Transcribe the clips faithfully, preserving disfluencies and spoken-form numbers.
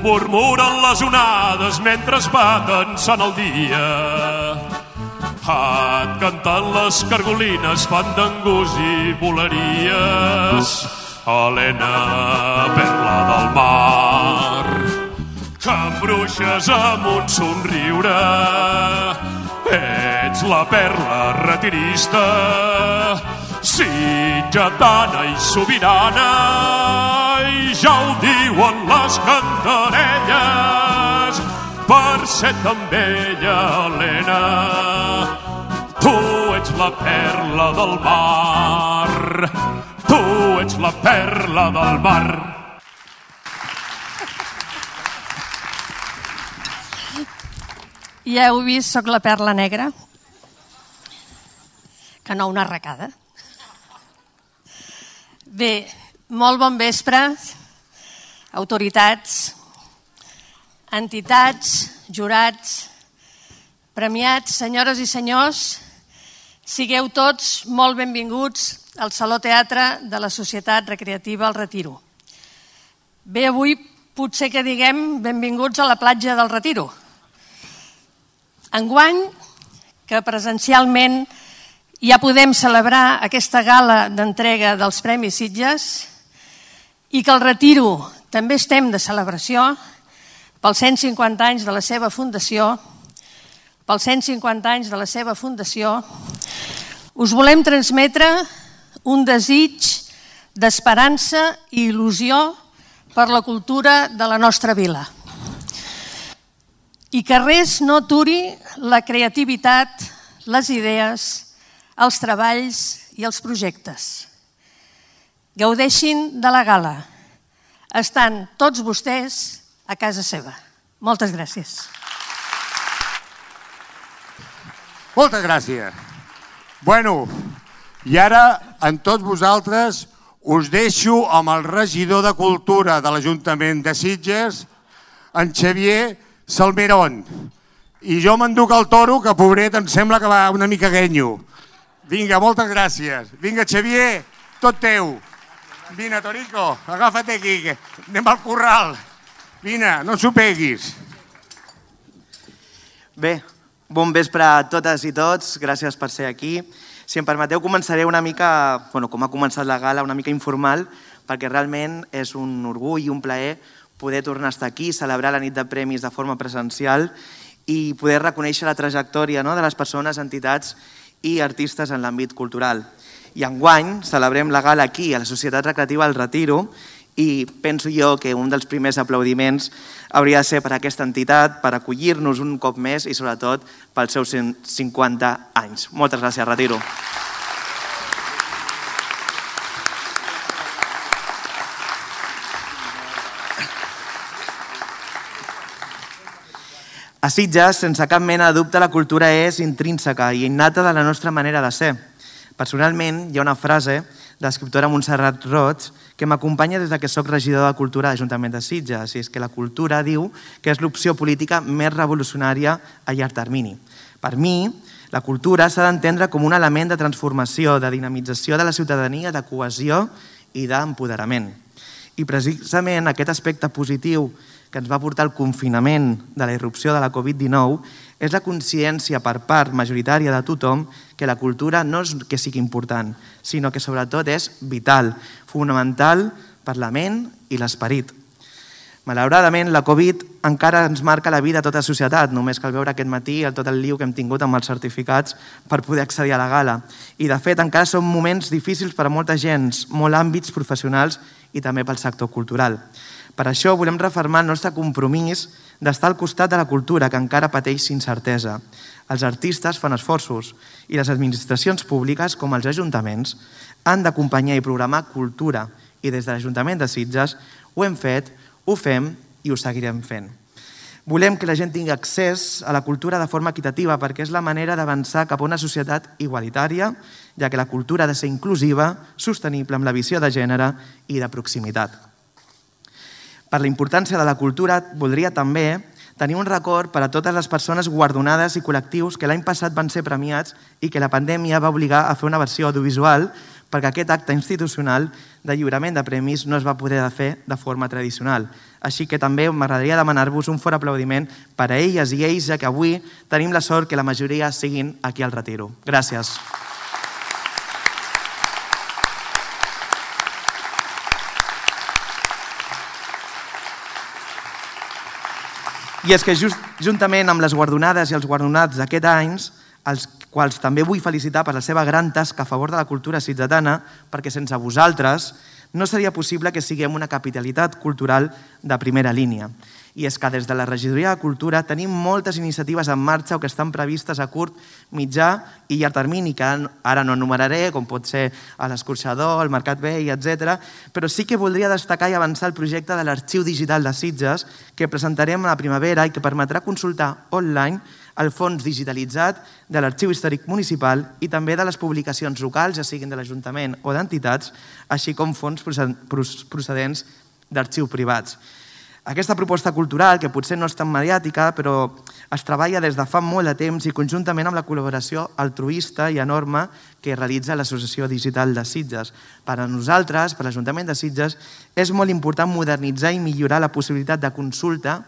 murmuren les onades mentre es baten sant el dia. Et cantant les cargolines fan d'angus i voleries. Helena, perla del mar, que embruixes amb un somriure. Ets la perla retirista, sitgetana i sobirana, i ja ho diuen les cantarelles, per ser tan bella, Helena. Tu ets la perla del mar, tu ets la perla del mar. Ja heu vist, soc la perla negra, que no una arracada. Bé, molt bon vespre, autoritats, entitats, jurats, premiats, senyores i senyors, sigueu tots molt benvinguts al Saló Teatre de la Societat Recreativa El Retiro. Bé, avui potser que diguem benvinguts a la platja del Retiro. Enguany, que presencialment ja podem celebrar aquesta gala d'entrega dels Premis Sitges i que al Retiro també estem de celebració pels cent cinquanta anys de la seva fundació, pels cent cinquanta anys de la seva fundació, us volem transmetre un desig d'esperança i il·lusió per la cultura de la nostra vila. I que res no aturi la creativitat, les idees, els treballs i els projectes. Gaudeixin de la gala. Estan tots vostès a casa seva. Moltes gràcies. Moltes gràcies. Bueno, i ara, amb tots vosaltres, us deixo amb el regidor de Cultura de l'Ajuntament de Sitges, en Xavier Salmerón. I jo m'enduc el toro, que pobret em sembla que va una mica guenyo. Vinga, moltes gràcies. Vinga, Xavier, tot teu. Vine, Torico, agafa't aquí, que anem al corral. Vine, no s'ho peguis. Bé, bon vespre a totes i tots, gràcies per ser aquí. Si em permeteu, començaré una mica, bueno, com ha començat la gala, una mica informal, perquè realment és un orgull i un plaer poder tornar a estar aquí, celebrar la nit de premis de forma presencial i poder reconèixer la trajectòria de les persones, entitats i artistes en l'àmbit cultural. I enguany celebrem la gala aquí, a la Societat Recreativa El Retiro, i penso jo que un dels primers aplaudiments hauria de ser per a aquesta entitat, per acollir-nos un cop més i sobretot pels seus cent cinquanta anys. Moltes gràcies, Retiro. A Sitges, sense cap mena de dubte, la cultura és intrínseca i innata de la nostra manera de ser. Personalment, hi ha una frase de l'escriptora Montserrat Roig que m'acompanya des que soc regidor de Cultura a l'Ajuntament de Sitges, i és que la cultura, diu, que és l'opció política més revolucionària a llarg termini. Per mi, la cultura s'ha d'entendre com un element de transformació, de dinamització de la ciutadania, de cohesió i d'empoderament. I precisament aquest aspecte positiu que ens va portar el confinament de la irrupció de la covid dinou és la consciència per part majoritària de tothom que la cultura no és que sigui important, sinó que sobretot és vital, fonamental per la ment i l'esperit. Malauradament, la Covid encara ens marca la vida a tota la societat. Només cal veure aquest matí tot el lío que hem tingut amb els certificats per poder accedir a la gala. I, de fet, encara són moments difícils per a molta gent, molts àmbits professionals i també pel sector cultural. Per això volem refermar el nostre compromís d'estar al costat de la cultura, que encara pateix incertesa. Els artistes fan esforços i les administracions públiques, com els ajuntaments, han d'acompanyar i programar cultura. I des de l'Ajuntament de Sitges ho hem fet, ho fem i ho seguirem fent. Volem que la gent tingui accés a la cultura de forma equitativa perquè és la manera d'avançar cap a una societat igualitària, ja que la cultura ha de ser inclusiva, sostenible amb la visió de gènere i de proximitat. Per la importància de la cultura, voldria també tenir un record per a totes les persones guardonades i col·lectius que l'any passat van ser premiats i que la pandèmia va obligar a fer una versió audiovisual perquè aquest acte institucional de lliurament de premis no es va poder fer de forma tradicional. Així que també m'agradaria demanar-vos un fort aplaudiment per a elles i ells, ja que avui tenim la sort que la majoria siguin aquí al Retiro. Gràcies. I és que just, juntament amb les guardonades i els guardonats d'aquest any, els quals també vull felicitar per la seva gran tasca a favor de la cultura sitgetana, perquè sense vosaltres no seria possible que siguem una capitalitat cultural de primera línia. I és que des de la Regidoria de Cultura tenim moltes iniciatives en marxa o que estan previstes a curt, mitjà i llarg termini, que ara no enumeraré, com pot ser l'Escorxador, el Mercat Vell, etcètera, però sí que voldria destacar i avançar el projecte de l'Arxiu Digital de Sitges, que presentarem a la primavera i que permetrà consultar online el fons digitalitzat de l'Arxiu Històric Municipal i també de les publicacions locals, ja siguin de l'Ajuntament o d'entitats, així com fons procedents d'arxius privats. Aquesta proposta cultural, que potser no és tan mediàtica, però es treballa des de fa molt de temps i conjuntament amb la col·laboració altruista i enorme que realitza l'Associació Digital de Sitges. Per a nosaltres, per l'Ajuntament de Sitges, és molt important modernitzar i millorar la possibilitat de consulta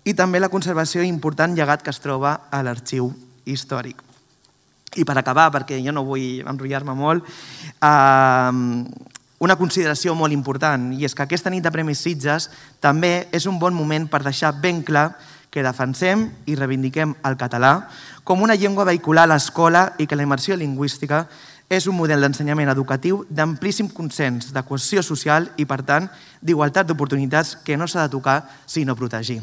i també la conservació important llegat que es troba a l'arxiu històric. I per acabar, perquè jo no vull enrotllar-me molt, eh, una consideració molt important, i és que aquesta nit de Premis Sitges també és un bon moment per deixar ben clar que defensem i reivindiquem el català com una llengua vehicular a l'escola i que la immersió lingüística és un model d'ensenyament educatiu d'amplíssim consens, de cohesió social i, per tant, d'igualtat d'oportunitats que no s'ha de tocar sinó protegir.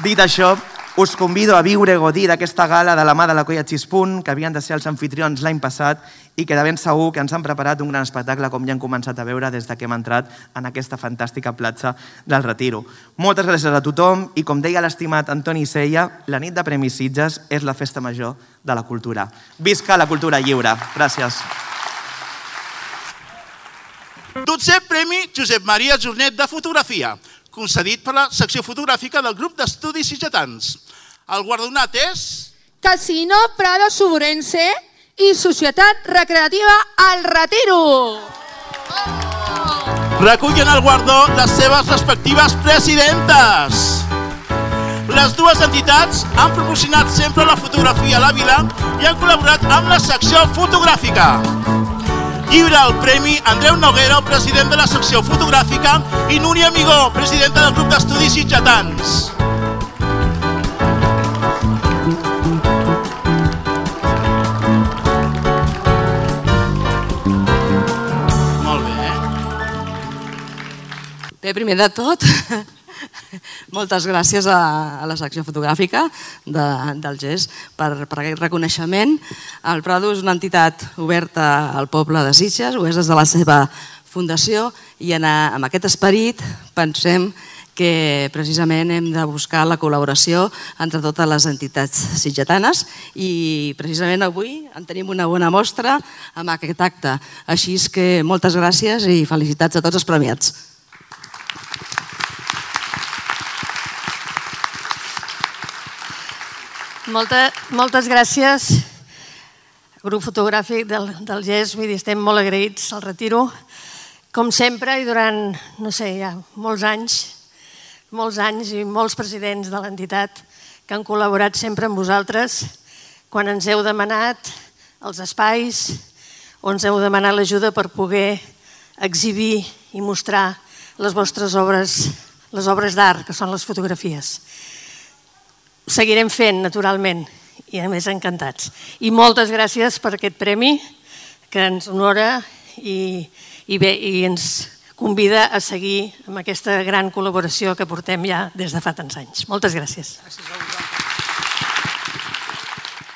Dit això, us convido a viure i gaudir d'aquesta gala de la mà de la Colla Xispunt, que havien de ser els anfitrions l'any passat i que de ben segur que ens han preparat un gran espectacle, com ja hem començat a veure des que hem entrat en aquesta fantàstica platja del Retiro. Moltes gràcies a tothom i, com deia l'estimat Antoni Sella, la nit de Premis Sitges és la festa major de la cultura. Visca la cultura lliure. Gràcies. dotzè Premi Josep Maria Jornet de Fotografia, concedit per la secció fotogràfica del grup d'estudis sitgetans. El guardonat és... Casino Prado Suburense i Societat Recreativa El Retiro. Recullen el guardó les seves respectives presidentes. Les dues entitats han proporcionat sempre la fotografia a la vila i han col·laborat amb la secció fotogràfica. Lliura el Premi Andreu Noguera, president de la secció fotogràfica, i Núria Amigó, presidenta del grup d'estudis sitgetans. Molt bé. Bé, primer de tot, moltes gràcies a, a la secció fotogràfica de, del G E S per, per aquest reconeixement. El Prado és una entitat oberta al poble de Sitges, ho és des de la seva fundació, i en, amb aquest esperit pensem que precisament hem de buscar la col·laboració entre totes les entitats sitgetanes i precisament avui en tenim una bona mostra amb aquest acte. Així és que moltes gràcies i felicitats a tots els premiats. Molta, moltes gràcies, grup fotogràfic del, del G E S, vull dir, estem molt agraïts al Retiro, com sempre, i durant, no sé, ja molts anys, molts anys i molts presidents de l'entitat que han col·laborat sempre amb vosaltres quan ens heu demanat els espais o ens heu demanat l'ajuda per poder exhibir i mostrar les vostres obres, les obres d'art, que són les fotografies. Ho seguirem fent, naturalment, i a més encantats. I moltes gràcies per aquest premi que ens honora i, i, bé, i ens convida a seguir amb aquesta gran col·laboració que portem ja des de fa tants anys. Moltes gràcies.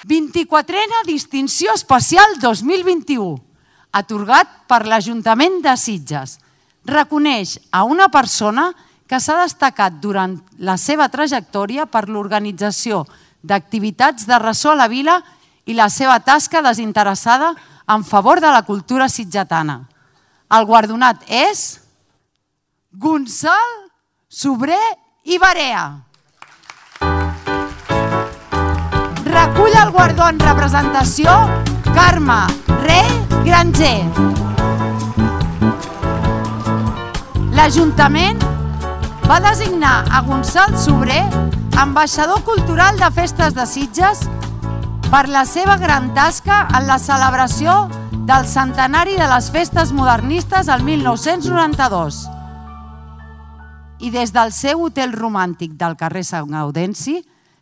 vint-i-quatrena Distinció Especial dos mil vint-i-u, atorgat per l'Ajuntament de Sitges. Reconeix a una persona que s'ha destacat durant la seva trajectòria per l'organització d'activitats de ressò a la vila i la seva tasca desinteressada en favor de la cultura sitgetana. El guardonat és... Gonçal Sobrer i Barea. Recull el guardó en representació Carme Rey Granger. L'Ajuntament va designar a Gonçal Sobrer ambaixador cultural de Festes de Sitges per la seva gran tasca en la celebració del centenari de les festes modernistes al mil nou-cents noranta-dos. I des del seu hotel romàntic del carrer Sant Gaudenci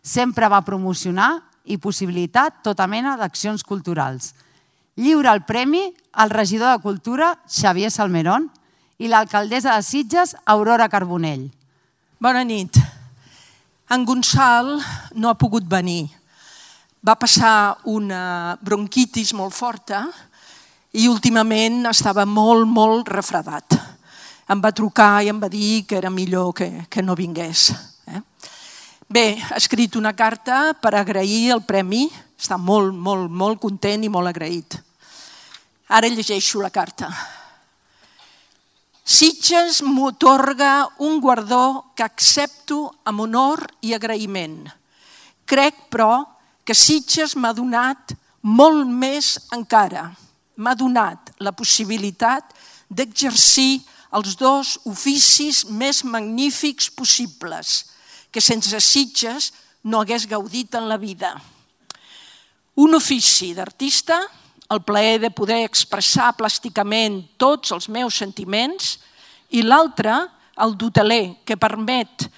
sempre va promocionar i possibilitar tota mena d'accions culturals. Lliura el premi al regidor de Cultura, Xavier Salmerón, i l'alcaldessa de Sitges, Aurora Carbonell. Bona nit. En Gonçal no ha pogut venir. Va passar una bronquitis molt forta i últimament estava molt, molt refredat. Em va trucar i em va dir que era millor que, que no vingués. Eh? Bé, ha escrit una carta per agrair el premi. Està molt, molt, molt content i molt agraït. Ara llegeixo la carta. Sitges m'atorga un guardó que accepto amb honor i agraïment. Crec, però, que Sitges m'ha donat molt més encara. M'ha donat la possibilitat d'exercir els dos oficis més magnífics possibles, que sense Sitges no hagués gaudit en la vida. Un ofici d'artista, el plaer de poder expressar plàsticament tots els meus sentiments, i l'altre, el d'hoteler, que permet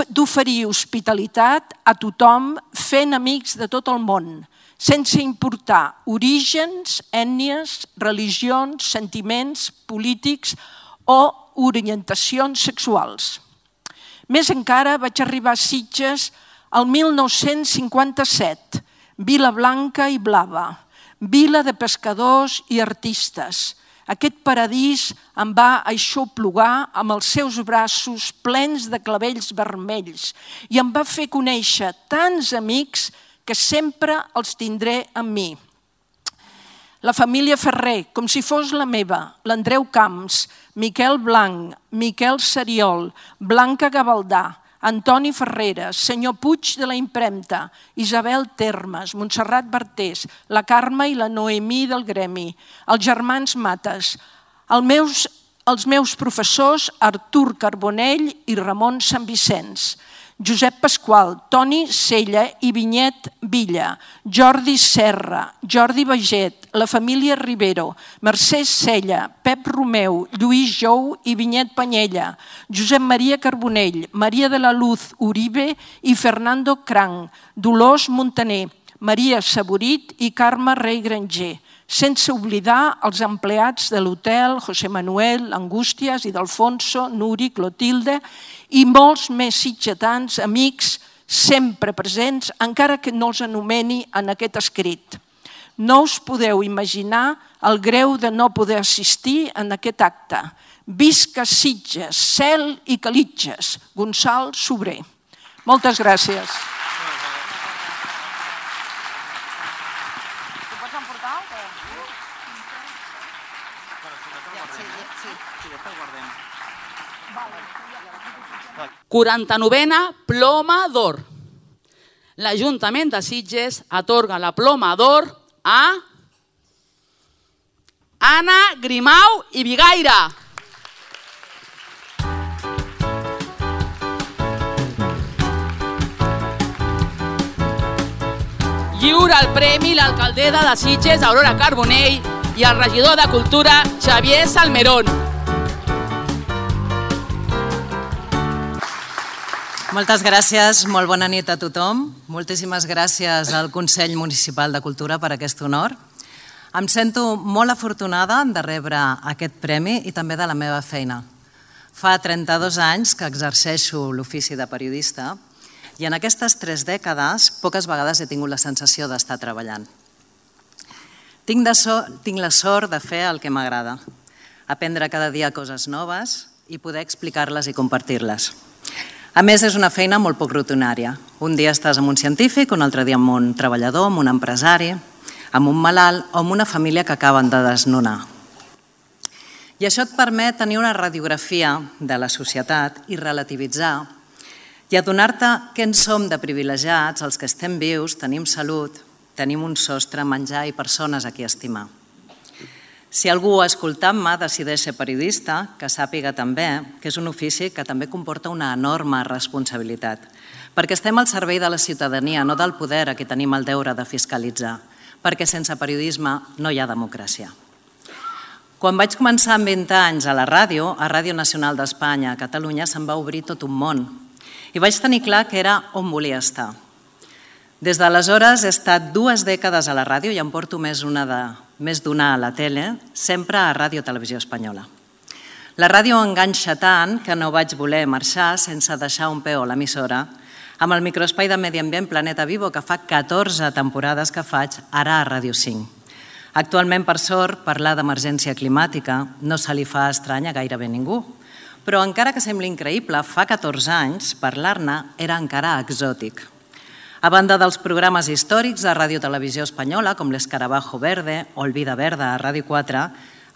d'oferir hospitalitat a tothom fent amics de tot el món, sense importar orígens, ètnies, religions, sentiments polítics o orientacions sexuals. Més encara, vaig arribar a Sitges el mil nou-cents cinquanta-set, Vila Blanca i Blava, vila de pescadors i artistes. Aquest paradís em va aixoplugar amb els seus braços plens de clavells vermells i em va fer conèixer tants amics que sempre els tindré amb mi. La família Ferrer, com si fos la meva, l'Andreu Camps, Miquel Blanc, Miquel Seriol, Blanca Gavaldà, Antoni Ferreres, senyor Puig de la Impremta, Isabel Termes, Montserrat Bartés, la Carme i la Noemí del Gremi, els germans Mates, els meus, els meus professors Artur Carbonell i Ramon Sant Vicenç, Josep Pasqual, Toni Sella i Vinyet Villa, Jordi Serra, Jordi Baget, la família Rivero, Mercè Sella, Pep Romeu, Lluís Jou i Vinyet Panyella, Josep Maria Carbonell, Maria de la Luz Uribe i Fernando Cranc, Dolors Montaner, Maria Saborit i Carme Rey Granger, sense oblidar els empleats de l'hotel, José Manuel, Angústias i d'Alfonso, Nuri, Clotilde i molts més sitgetans, amics, sempre presents, encara que no els anomeni en aquest escrit. No us podeu imaginar el greu de no poder assistir en aquest acte. Visca Sitges, cel i calitges. Gonçal Sobrer. Moltes gràcies. quaranta-novena Ploma d'Or. L'Ajuntament de Sitges atorga la Ploma d'Or a Anna Grimau i Bigaire. Lliura el premi l'alcaldessa de Sitges, Aurora Carbonell, i el regidor de Cultura, Xavier Salmerón. Moltes gràcies, molt bona nit a tothom. Moltíssimes gràcies al Consell Municipal de Cultura per aquest honor. Em sento molt afortunada de rebre aquest premi i també de la meva feina. Fa trenta-dos anys que exerceixo l'ofici de periodista i en aquestes tres dècades poques vegades he tingut la sensació d'estar treballant. Tinc, de so, tinc la sort de fer el que m'agrada, aprendre cada dia coses noves i poder explicar-les i compartir-les. A més, és una feina molt poc rutinària. Un dia estàs amb un científic, un altre dia amb un treballador, amb un empresari, amb un malalt o amb una família que acaben de desnonar. I això et permet tenir una radiografia de la societat i relativitzar i adonar-te que en som de privilegiats, els que estem vius, tenim salut, tenim un sostre, menjar i persones a qui estimar. Si algú escoltant-me decideix ser periodista, que sàpiga també que és un ofici que també comporta una enorme responsabilitat, perquè estem al servei de la ciutadania, no del poder a qui tenim el deure de fiscalitzar, perquè sense periodisme no hi ha democràcia. Quan vaig començar amb vint anys a la ràdio, a Ràdio Nacional d'Espanya, a Catalunya, se'm va obrir tot un món i vaig tenir clar que era on volia estar. Des d'aleshores he estat dues dècades a la ràdio i em porto més d'una de, més d'una a la tele, sempre a Ràdio Televisió Espanyola. La ràdio enganxa tant que no vaig voler marxar sense deixar un peu a l'emissora amb el microespai de Medi Ambient Planeta Vivo, que fa catorze temporades que faig ara a Ràdio cinc. Actualment, per sort, parlar d'emergència climàtica no se li fa estrany a gairebé ningú, però encara que sembli increïble, fa catorze anys parlar-ne era encara exòtic. A banda dels programes històrics de Ràdio Televisió Espanyola, com l'Escarabajo Verde o el Vida Verda a Ràdio quatre,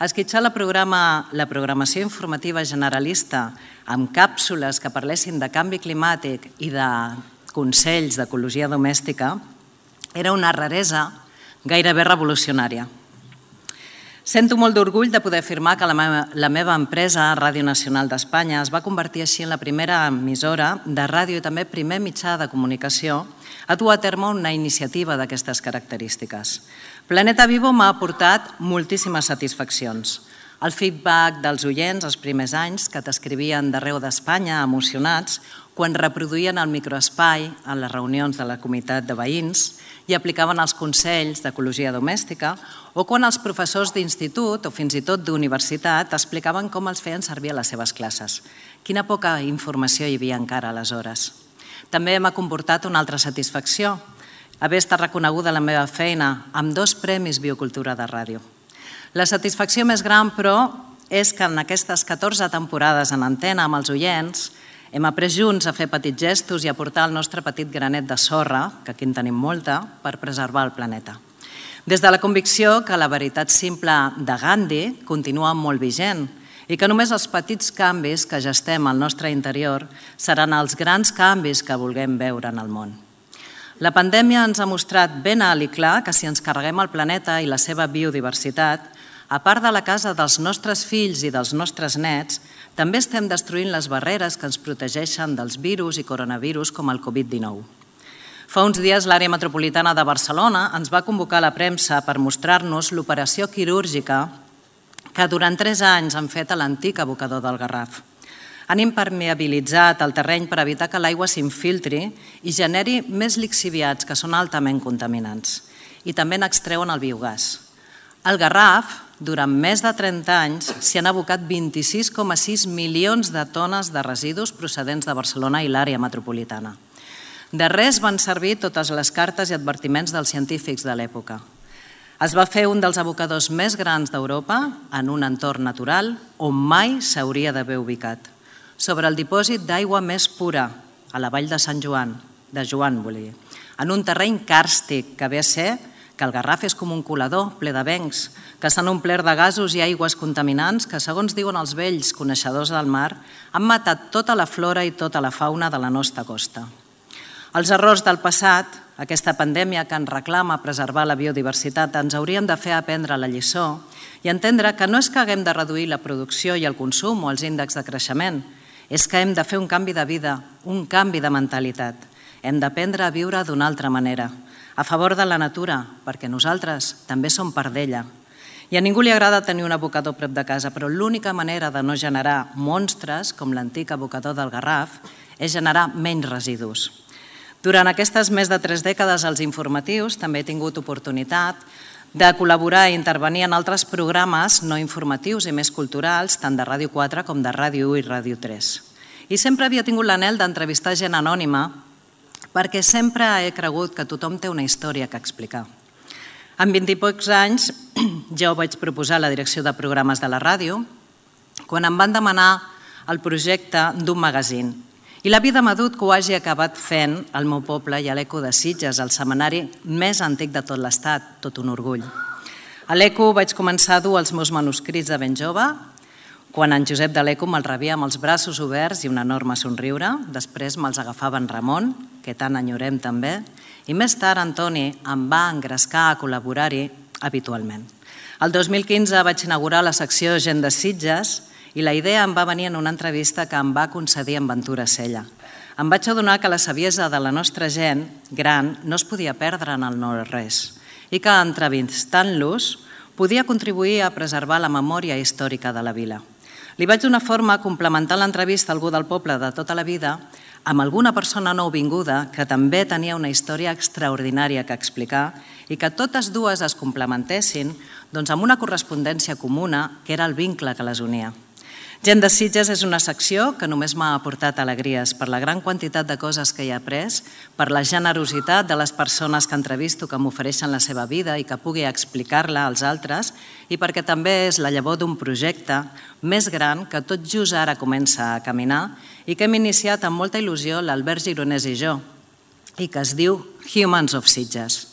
esquitxar la, programa, la programació informativa generalista amb càpsules que parlessin de canvi climàtic i de consells d'ecologia domèstica era una raresa gairebé revolucionària. Sento molt d'orgull de poder afirmar que la meva, la meva empresa, Ràdio Nacional d'Espanya, es va convertir així en la primera emissora de ràdio i també primer mitjà de comunicació a dur a terme una iniciativa d'aquestes característiques. Planeta Vivo m'ha aportat moltíssimes satisfaccions. El feedback dels oients els primers anys que t'escrivien d'arreu d'Espanya emocionats quan reproduïen el microespai a les reunions de la comunitat de veïns i aplicaven els consells d'ecologia domèstica o quan els professors d'institut o fins i tot d'universitat explicaven com els feien servir a les seves classes. Quina poca informació hi havia encara aleshores. També m'ha comportat una altra satisfacció, haver estat reconeguda la meva feina amb dos premis Biocultura de Ràdio. La satisfacció més gran, però, és que en aquestes catorze temporades en antena amb els oients hem après junts a fer petits gestos i a portar el nostre petit granet de sorra, que aquí en tenim molta, per preservar el planeta. Des de la convicció que la veritat simple de Gandhi continua molt vigent i que només els petits canvis que gestem al nostre interior seran els grans canvis que vulguem veure en el món. La pandèmia ens ha mostrat ben alt i clar que si ens carreguem el planeta i la seva biodiversitat, a part de la casa dels nostres fills i dels nostres nets, també estem destruint les barreres que ens protegeixen dels virus i coronavirus com el covid dinou. Fa uns dies l'àrea metropolitana de Barcelona ens va convocar a la premsa per mostrar-nos l'operació quirúrgica que durant tres anys han fet a l'antic abocador del Garraf. Han impermeabilitzat el terreny per evitar que l'aigua s'infiltri i generi més lixiviats que són altament contaminants. I també n'extreuen el biogàs. Al Garraf, durant més de trenta anys, s'hi han abocat vint-i-sis coma sis milions de tones de residus procedents de Barcelona i l'àrea metropolitana. De res van servir totes les cartes i advertiments dels científics de l'època. Es va fer un dels abocadors més grans d'Europa en un entorn natural on mai s'hauria d'haver ubicat, sobre el dipòsit d'aigua més pura, a la vall de Sant Joan, de Joan, volia dir, en un terreny càrstic que ve a ser que el Garraf és com un colador ple de bencs, que s'han omplert de gasos i aigües contaminants que, segons diuen els vells coneixedors del mar, han matat tota la flora i tota la fauna de la nostra costa. Els errors del passat, aquesta pandèmia que ens reclama preservar la biodiversitat, ens haurien de fer aprendre la lliçó i entendre que no és que haguem de reduir la producció i el consum o els índexs de creixement, és que hem de fer un canvi de vida, un canvi de mentalitat. Hem d'aprendre a viure d'una altra manera, a favor de la natura, perquè nosaltres també som part d'ella. I a ningú li agrada tenir un abocador prop de casa, però l'única manera de no generar monstres, com l'antic abocador del Garraf, és generar menys residus. Durant aquestes més de tres dècades als informatius també he tingut oportunitat de col·laborar i intervenir en altres programes no informatius i més culturals, tant de Ràdio quatre com de Ràdio u i Ràdio tres. I sempre havia tingut l'anhel d'entrevistar gent anònima perquè sempre he cregut que tothom té una història que explicar. En vint i pocs anys ja ho vaig proposar a la direcció de programes de la ràdio quan em van demanar el projecte d'un magazín. I la vida m'ha dut que ho hagi acabat fent al meu poble i a l'Eco de Sitges, el setmanari més antic de tot l'estat, tot un orgull. A l'Eco vaig començar a dur els meus manuscrits de ben jove quan en Josep de l'Eco me'l rebia amb els braços oberts i un enorme somriure. Després me'ls agafava en Ramon, que tant enyorem també, i més tard Antoni em va engrescar a col·laborar-hi habitualment. El dos mil quinze vaig inaugurar la secció Gent de Sitges i la idea em va venir en una entrevista que em va concedir en Ventura Sella. Em vaig adonar que la saviesa de la nostra gent gran no es podia perdre en el no-res i que entrevistant-los podia contribuir a preservar la memòria històrica de la vila. Li vaig donar forma complementant l'entrevista a algú del poble de tota la vida amb alguna persona nouvinguda que també tenia una història extraordinària que explicar i que totes dues es complementessin doncs, amb una correspondència comuna que era el vincle que les unia. Gent de Sitges és una secció que només m'ha aportat alegries per la gran quantitat de coses que hi he après, per la generositat de les persones que entrevisto que m'ofereixen la seva vida i que pugui explicar-la als altres i perquè també és la llavor d'un projecte més gran que tot just ara comença a caminar i que hem iniciat amb molta il·lusió l'Albert Gironès i jo i que es diu Humans of Sitges.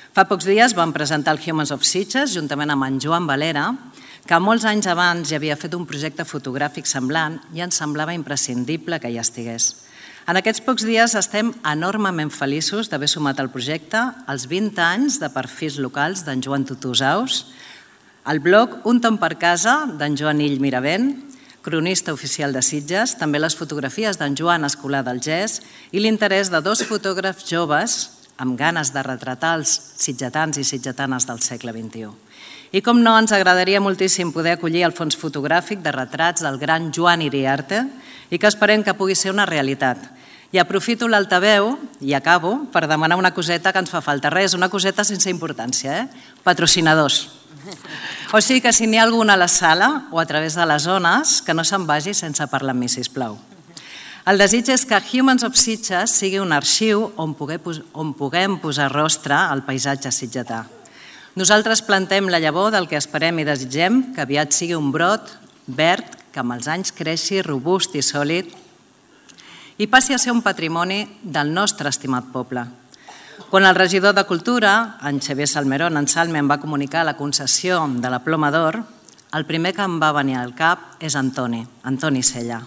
Fa pocs dies vam presentar el Humans of Sitges juntament amb en Joan Valera, que molts anys abans ja havia fet un projecte fotogràfic semblant i ens semblava imprescindible que hi estigués. En aquests pocs dies estem enormement feliços d'haver sumat al projecte els vint anys de perfils locals d'en Joan Tutusaus, el blog Un tom per casa d'en Joan Ill Miravent, cronista oficial de Sitges, també les fotografies d'en Joan Escolar del Gès i l'interès de dos fotògrafs joves amb ganes de retratar els sitgetans i sitgetanes del segle vint-i-u. I com no, ens agradaria moltíssim poder acollir el fons fotogràfic de retrats del gran Joan Iriarte i que esperem que pugui ser una realitat. I aprofito l'altaveu, i acabo, per demanar una coseta que ens fa falta. Res, una coseta sense importància, eh? Patrocinadors. O sigui que si n'hi ha algun a la sala o a través de les zones, que no se'n vagi sense parlar amb mi, sisplau. El desig és que Humans of Sitges sigui un arxiu on puguem posar rostre al paisatge sitgetà. Nosaltres plantem la llavor del que esperem i desitgem que aviat sigui un brot verd que amb els anys creixi robust i sòlid i passi a ser un patrimoni del nostre estimat poble. Quan el regidor de Cultura, en Xavier Salmerón, en Salme, em va comunicar la concessió de la Ploma d'Or, el primer que em va venir al cap és Antoni, Antoni Sella.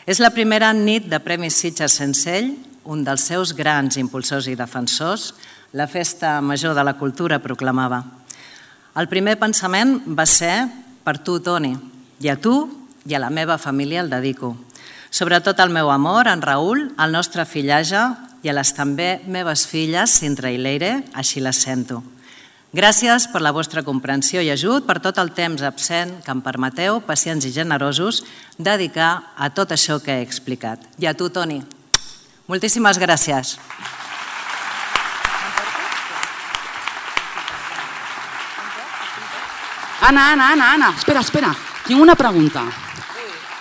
És la primera nit de Premis Sitges sense ell, un dels seus grans impulsors i defensors, la festa major de la cultura proclamava. El primer pensament va ser per tu, Toni, i a tu i a la meva família el dedico. Sobretot al meu amor, en Raül, al nostre fillage i a les també meves filles, Sintra i Leire, així les sento. Gràcies per la vostra comprensió i ajut, per tot el temps absent que em permeteu, pacients i generosos, dedicar a tot això que he explicat. I a tu, Toni, moltíssimes gràcies. Anna, Anna, Anna, Anna, espera, espera. Tinc una pregunta.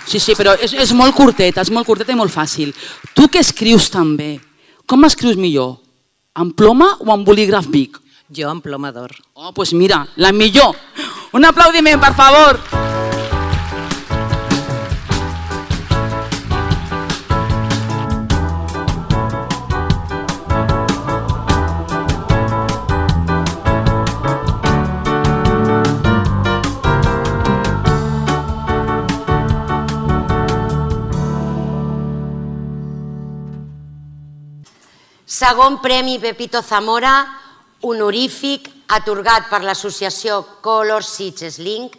Sí, sí, però és, és molt curteta, és molt curteta i molt fàcil. Tu que escrius també, com escrius millor? Amb ploma o amb bolígraf Bic? Jo amb ploma d'or. Oh, doncs mira, la millor. Un aplaudiment, per favor. Segon Premi Pepito Zamora, honorífic, atorgat per l'associació Color Sitges Link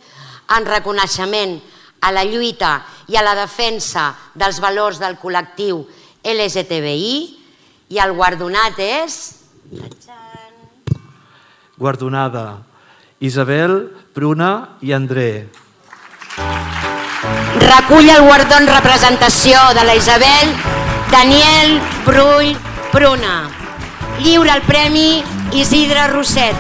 en reconeixement a la lluita i a la defensa dels valors del col·lectiu L G T B I i el guardonat és... Guardonada Isabel, Pruna i André. Recull el guardó en representació de la Isabel, Daniel Brull Pruna. Lliura el Premi Isidre Roset.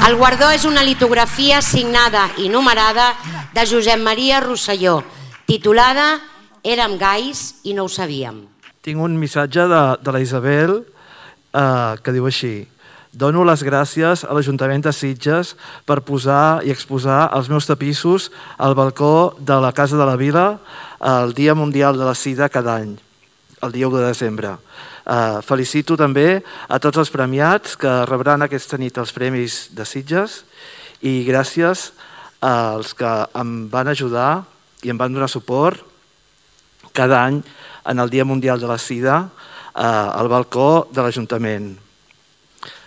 El guardó és una litografia signada i numerada de Josep Maria Rosselló, titulada Érem gais i no ho sabíem. Tinc un missatge de, de la Isabel eh, que diu així: dono les gràcies a l'Ajuntament de Sitges per posar i exposar els meus tapissos al balcó de la Casa de la Vila el Dia Mundial de la Sida cada any, el dia u de desembre. Uh, felicito també a tots els premiats que rebran aquesta nit els Premis de Sitges i gràcies als que em van ajudar i em van donar suport cada any en el Dia Mundial de la Sida uh, al balcó de l'Ajuntament.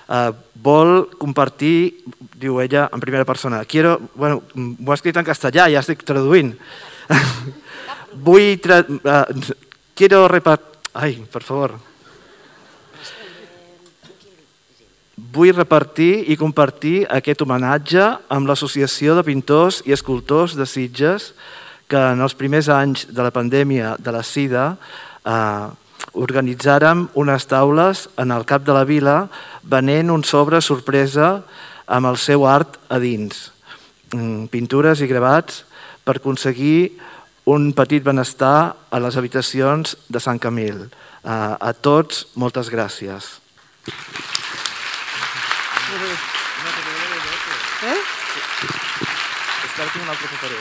Uh, vol compartir, diu ella en primera persona, quiero, bueno, ho ha escrit en castellà, ja estic traduint. Vull, tra uh, quiero repartir, ai, per favor. Vull repartir i compartir aquest homenatge amb l'Associació de Pintors i Escultors de Sitges que en els primers anys de la pandèmia de la Sida eh, organitzàrem unes taules en el cap de la vila venent un sobre sorpresa amb el seu art a dins, pintures i gravats per aconseguir un petit benestar a les habitacions de Sant Camil. Eh, a tots, moltes gràcies. Eh? És que ara tinc un altre paperó.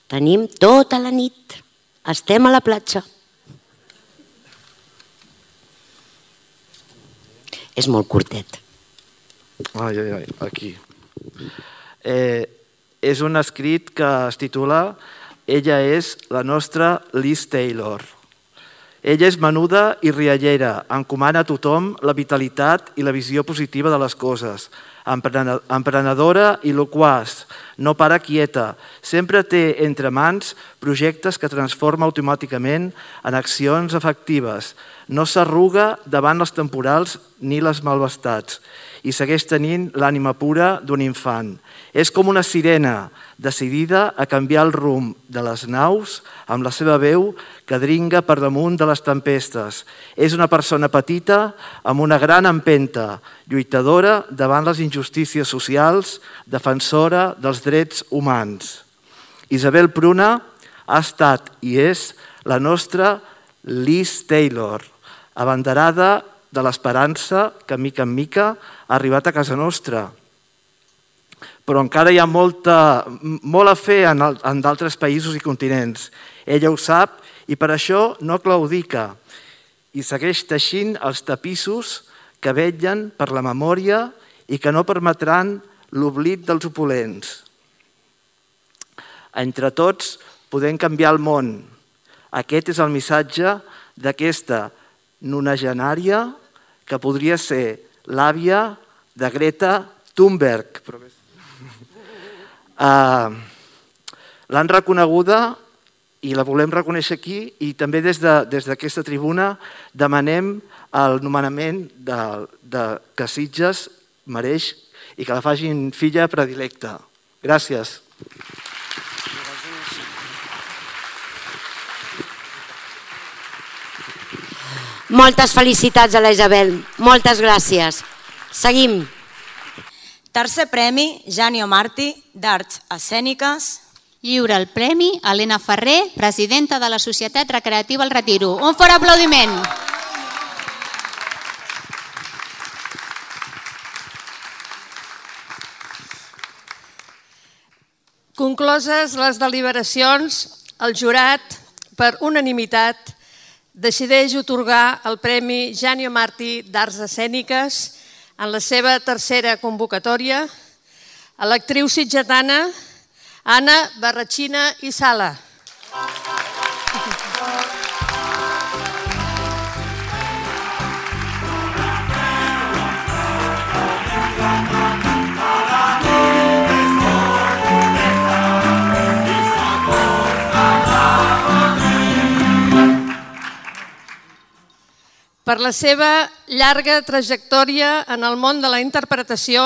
Tenim tota la nit. Estem a la platja. És molt curtet. Ai, ai, ai, aquí. Eh, és un escrit que es titula Ella és la nostra Liz Taylor. Ella és menuda i riallera, encomana a tothom la vitalitat i la visió positiva de les coses. Emprenedora i loquaç, no para quieta, sempre té entre mans projectes que transforma automàticament en accions efectives. No s'arruga davant els temporals ni les malvestats i segueix tenint l'ànima pura d'un infant. És com una sirena, decidida a canviar el rumb de les naus amb la seva veu que dringa per damunt de les tempestes. És una persona petita amb una gran empenta, lluitadora davant les injustícies socials, defensora dels drets humans. Isabel Pruna ha estat i és la nostra Liz Taylor, abanderada de l'esperança que, mica en mica, ha arribat a casa nostra. Però encara hi ha molta, molt a fer en, en d'altres països i continents. Ella ho sap i per això no claudica i segueix teixint els tapissos que vetllen per la memòria i que no permetran l'oblit dels opulents. Entre tots podem canviar el món. Aquest és el missatge d'aquesta nonagenària que podria ser l'àvia de Greta Thunberg. Uh, L'han reconeguda i la volem reconèixer aquí i també des d'aquesta de, tribuna demanem el nomenament de, de que Sitges mereix i que la facin filla predilecta. Gràcies. Moltes felicitats a la Isabel. Moltes gràcies. Seguim. Tercer premi, Janio Martí, d'Arts Escèniques. Lliura el premi a Helena Ferrer, presidenta de la Societat Recreativa El Retiro. Un fort aplaudiment. Concloses les deliberacions, el jurat, per unanimitat, decideix otorgar el Premi Janio Martí d'Arts Escèniques en la seva tercera convocatòria a l'actriu sitgetana Anna Barrachina i Sala. Per la seva llarga trajectòria en el món de la interpretació,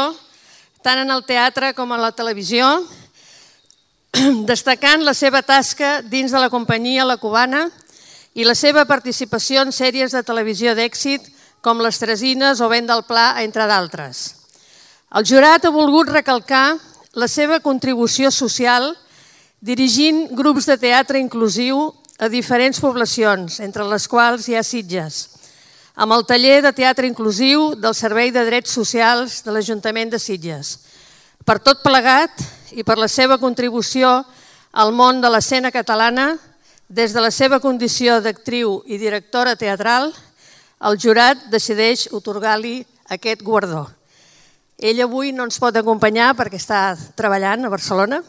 tant en el teatre com en la televisió, destacant la seva tasca dins de la companyia La Cubana i la seva participació en sèries de televisió d'èxit com Les Tresines o Vent del Pla, entre d'altres. El jurat ha volgut recalcar la seva contribució social dirigint grups de teatre inclusiu a diferents poblacions, entre les quals hi ha Sitges, amb el taller de teatre inclusiu del Servei de Drets Socials de l'Ajuntament de Sitges. Per tot plegat i per la seva contribució al món de l'escena catalana, des de la seva condició d'actriu i directora teatral, el jurat decideix atorgar-li aquest guardó. Ell avui no ens pot acompanyar perquè està treballant a Barcelona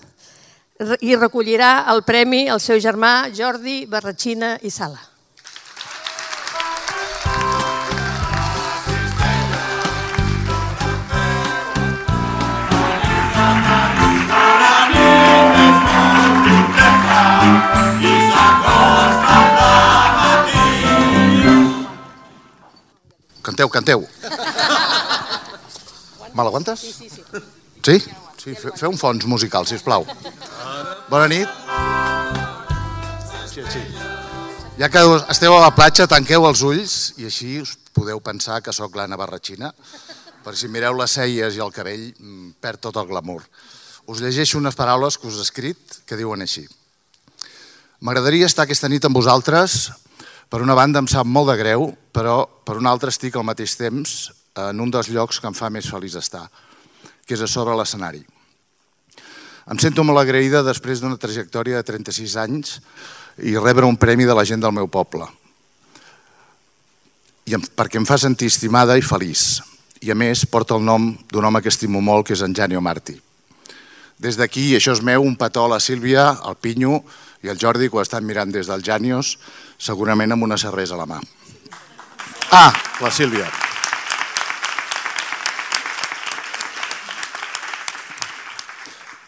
i recollirà el premi al seu germà Jordi Barratxina i Sala. Canteu, canteu. Me l'aguantes? Sí, sí, sí. Sí? Sí, feu un fons musical, sisplau. Bona nit. Sí, sí. Ja que esteu a la platja, tanqueu els ulls i així us podeu pensar que sóc l'Anna Barratxina. Per si mireu les celles i el cabell, perd tot el glamour. Us llegeixo unes paraules que us he escrit que diuen així. M'agradaria estar aquesta nit amb vosaltres. Per una banda em sap molt de greu, però per una altra estic al mateix temps en un dels llocs que em fa més feliç estar, que és a sobre l'escenari. Em sento molt agraïda després d'una trajectòria de trenta-sis anys i rebre un premi de la gent del meu poble, perquè em fa sentir estimada i feliç. I a més porta el nom d'un home que estimo molt, que és en Janio Martí. Des d'aquí, això és meu, un petó a la Sílvia, al Pinyo i al Jordi, que ho estan mirant des dels Janios, segurament amb una cervesa a la mà. Ah, la Sílvia.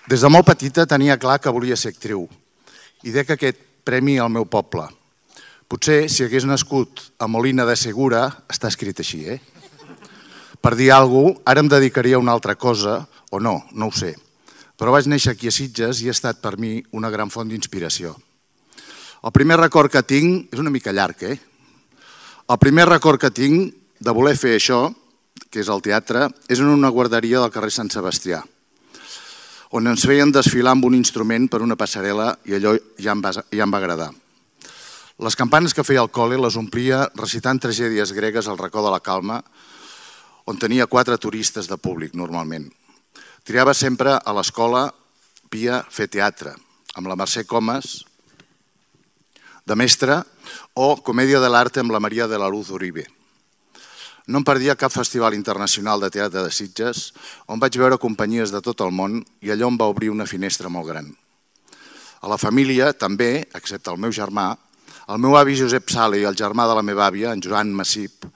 Des de molt petita tenia clar que volia ser actriu i dec aquest premi al meu poble. Potser, si hagués nascut a Molina de Segura, està escrit així, eh? Per dir alguna cosa, ara em dedicaria a una altra cosa, o no, no ho sé. Però vaig néixer aquí a Sitges i ha estat per mi una gran font d'inspiració. El primer record que tinc, és una mica llarg, eh? El primer record que tinc de voler fer això, que és el teatre, és en una guarderia del carrer Sant Sebastià, on ens feien desfilar amb un instrument per una passarel·la i allò ja em va, ja em va agradar. Les campanes que feia al col·le les omplia recitant tragèdies gregues al racó de la Calma, on tenia quatre turistes de públic normalment. Triava sempre a l'escola Pia fer teatre, amb la Mercè Comas, de mestra, o Comèdia de l'Arte amb la Maria de la Luz Uribe. No em perdia cap festival internacional de teatre de Sitges, on vaig veure companyies de tot el món i allò em va obrir una finestra molt gran. A la família, també, excepte el meu germà, el meu avi Josep Sala i el germà de la meva àvia, en Joan Massip,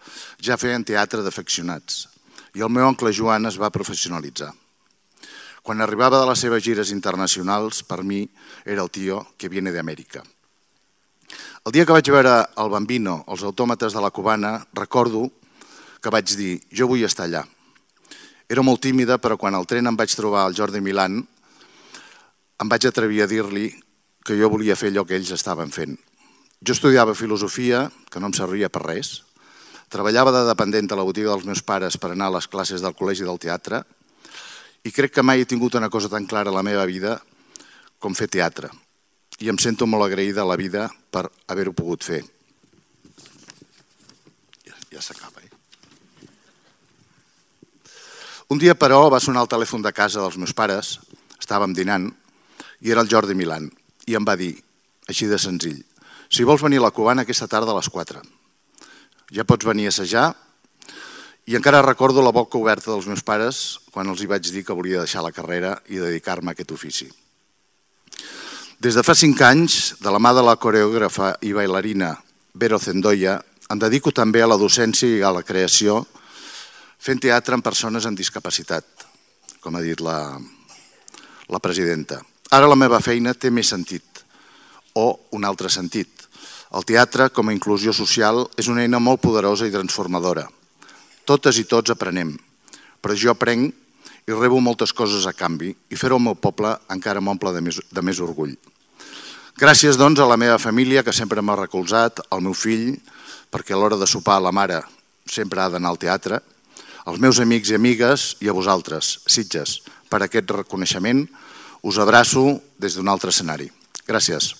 ja feien teatre d'afeccionats i el meu oncle Joan es va professionalitzar. Quan arribava de les seves gires internacionals, per mi era el tio que viene d'Amèrica. El dia que vaig veure el Bambino, els autòmates de la Cubana, recordo que vaig dir, jo vull estar allà. Era molt tímida, però quan al tren em vaig trobar al Jordi Milán, em vaig atrevir a dir-li que jo volia fer allò que ells estaven fent. Jo estudiava filosofia, que no em servia per res, treballava de dependent a la botiga dels meus pares per anar a les classes del col·legi del teatre i crec que mai he tingut una cosa tan clara a la meva vida com fer teatre. I em sento molt agraïda a la vida per haver-ho pogut fer. Ja, ja s'acaba, eh? Un dia, però, va sonar el telèfon de casa dels meus pares, estàvem dinant, i era el Jordi Milán, i em va dir, així de senzill, si vols venir a la Cubana aquesta tarda a les quatre. Ja pots venir a assajar, i encara recordo la boca oberta dels meus pares quan els hi vaig dir que volia deixar la carrera i dedicar-me a aquest ofici. Des de fa cinc anys, de la mà de la coreògrafa i bailarina Vero Zendoya, em dedico també a la docència i a la creació fent teatre amb persones amb discapacitat, com ha dit la, la presidenta. Ara la meva feina té més sentit, o un altre sentit. El teatre, com a inclusió social, és una eina molt poderosa i transformadora. Totes i tots aprenem, però jo aprenc i rebo moltes coses a canvi i fer-ho al meu poble encara m'omple de més, de més orgull. Gràcies, doncs, a la meva família, que sempre m'ha recolzat, al meu fill, perquè a l'hora de sopar la mare sempre ha d'anar al teatre, als meus amics i amigues i a vosaltres, Sitges, per aquest reconeixement, us abraço des d'un altre escenari. Gràcies.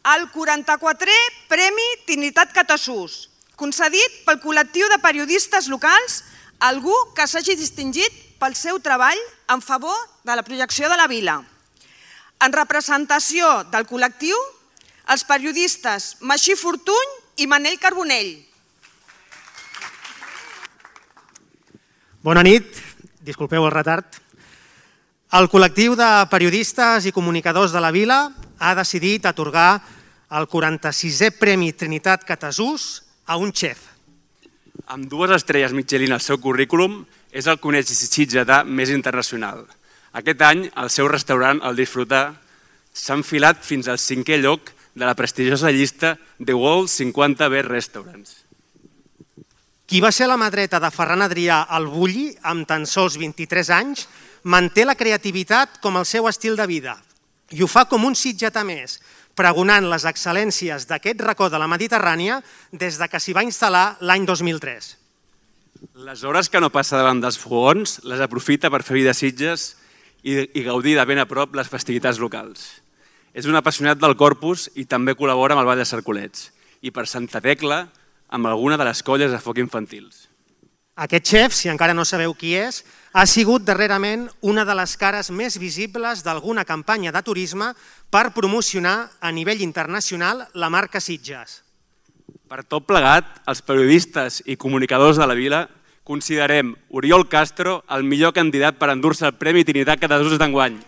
el quaranta-quatrè Premi Trinitat Catasús, concedit pel col·lectiu de periodistes locals a algú que s'hagi distingit pel seu treball en favor de la projecció de la vila. En representació del col·lectiu, els periodistes Maxí Fortuny i Manel Carbonell. Bona nit, disculpeu el retard. El col·lectiu de periodistes i comunicadors de la vila ha decidit atorgar el quaranta-sisè Premi Trinitat Catasús a un xef. Amb dues estrelles Michelin al seu currículum, és el coneix sitgetà més internacional. Aquest any, el seu restaurant, el Disfrutar, s'ha enfilat fins al cinquè lloc de la prestigiosa llista The World cinquanta Best Restaurants. Qui va ser la mà dreta de Ferran Adrià al Bulli amb tan sols vint-i-tres anys, manté la creativitat com el seu estil de vida i ho fa com un sitgetà més, pregonant les excel·lències d'aquest racó de la Mediterrània des de que s'hi va instal·lar l'any dos mil tres. Les hores que no passa davant dels fogons les aprofita per fer vida a Sitges i gaudir de ben a prop les festivitats locals. És un apassionat del Corpus i també col·labora amb el Ball de Cercolets i per Santa Tecla amb alguna de les colles de foc infantils. Aquest xef, si encara no sabeu qui és, ha sigut darrerament una de les cares més visibles d'alguna campanya de turisme per promocionar a nivell internacional la marca Sitges. Per tot plegat, els periodistes i comunicadors de la vila considerem Oriol Castro el millor candidat per endur-se el Premi Trinitat Catasús d'enguany.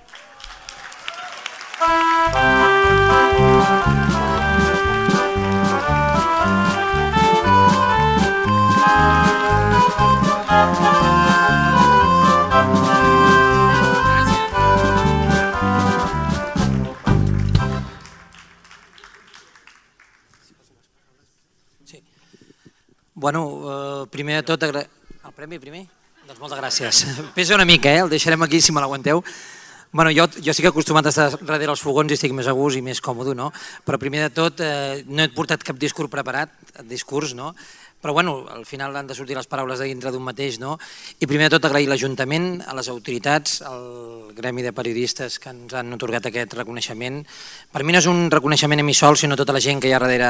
Bueno, primer de tot... El premi primer? Doncs moltes gràcies. Pesa una mica, eh? El deixarem aquí si me l'aguanteu. Bueno, jo, jo sí que he acostumat a estar darrere els fogons i estic més a gust i més còmode, no? Però primer de tot eh, no he portat cap discurs preparat, discurs, no? Però bueno, al final han de sortir les paraules de dintre d'un mateix, no? I primer de tot agrair l'Ajuntament, a les autoritats, al gremi de periodistes que ens han atorgat aquest reconeixement. Per mi no és un reconeixement a mi sol, sinó a tota la gent que hi ha darrere,